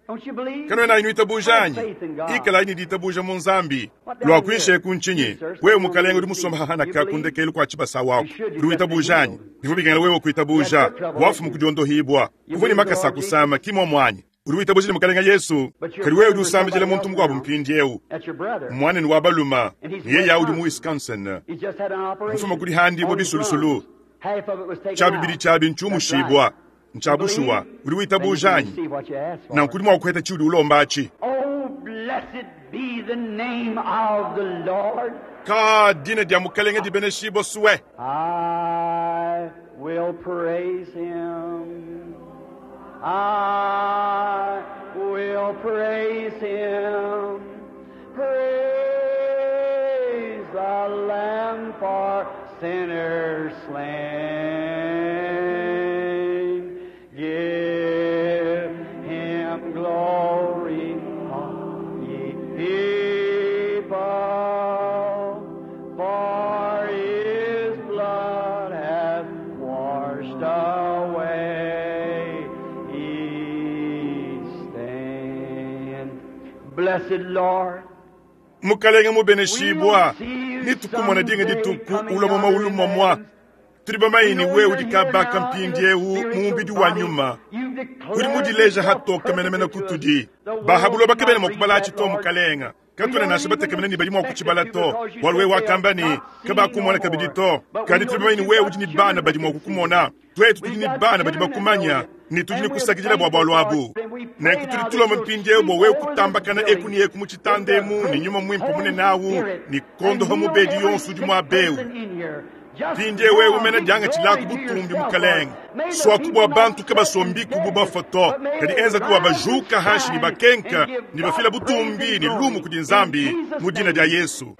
Kanuena nuitabuja anyi? Ikalayi ne ditabuja mu Nzambi. Lua kuinshi eku ntshinyi? Wewe Mukalenge udi musomba hahanaka ku ndekelu kua tshibasa waku. Udi witabuja anyi? Bivua bikengela wewe kuitabuja. Wafumu ku diondohibua. Uvua ne makasa a kusama, ki muomu anyi? Udi witabuja ne Mukalenge Yesu? Kadi wewe udi usambidila muntu mukuabu mpindieu, muanenu wa balume, ne yeye udi mu Wisconsin. Mufuma kudi handibua bisulusulu. Tshia bibidi tshiabi ntshiumushibua. Ntshia bushuwa. Udi witabuja anyi? Nanku udi mua kuheta tshiudi ulomba atshi. Ka dina dia Mukalenge dibeneshibua sue. I will praise him. I will praise him. Praise the Lamb for sinners slain. Give him glory, all ye people, for his blood hath washed away each stain. Blessed Lord. Mukalenge mubeneshibua, nitukumona dinga dituku ulua mu maulu momua. Tudi bamanye ne wewe udi kabaka mpindieu mu mubidi wa nyuma, udi mudileja hatoke menemene kutudi. Ba ha buloba kabena mua kubala atshi to, Mukalenga. Katuena nansha batekemene ne badi mua kutshibala to, bualu wewe wakamba ne, kabakumona kabidi to. Kadi tudi bamanye ne wewe udi ne bana badi mua kukumona. Tuetu tudi ne bana badi bakumanya, ne tudi ne kusakidila bua bualu abu. Nenku tudi tulomba mpindieu bua wewe kutambakana eku ne eku mu tshitanda emu ne nyuma muimpe munene awu, ne kondoha mubedi yonso udi muaba eu. Mpindieu wewe mene diangatshilaku butumbi, Mukalenge. Suaku bua bantu kabasombiku bu bafue to, kadi enzaku bua bajuka hanshi ne bakenka ne bafila butumbi ne lumu kudi Nzambi mu dina dia Yesu.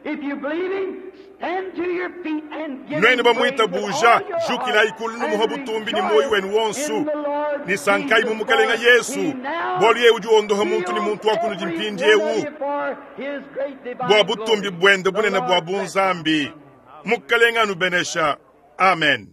Nuenu bamuitabuja, jukilayi kulu numuha butumbi ne muoyo wenu wonso, ne sankayi mu Mukalenga Yesu, bualu yeye udi wondoha muntu ne muntu wa kunudi mpindieu bua butumbi buende bunene bua bunzambi. Mukalenga anubenesha. Amen.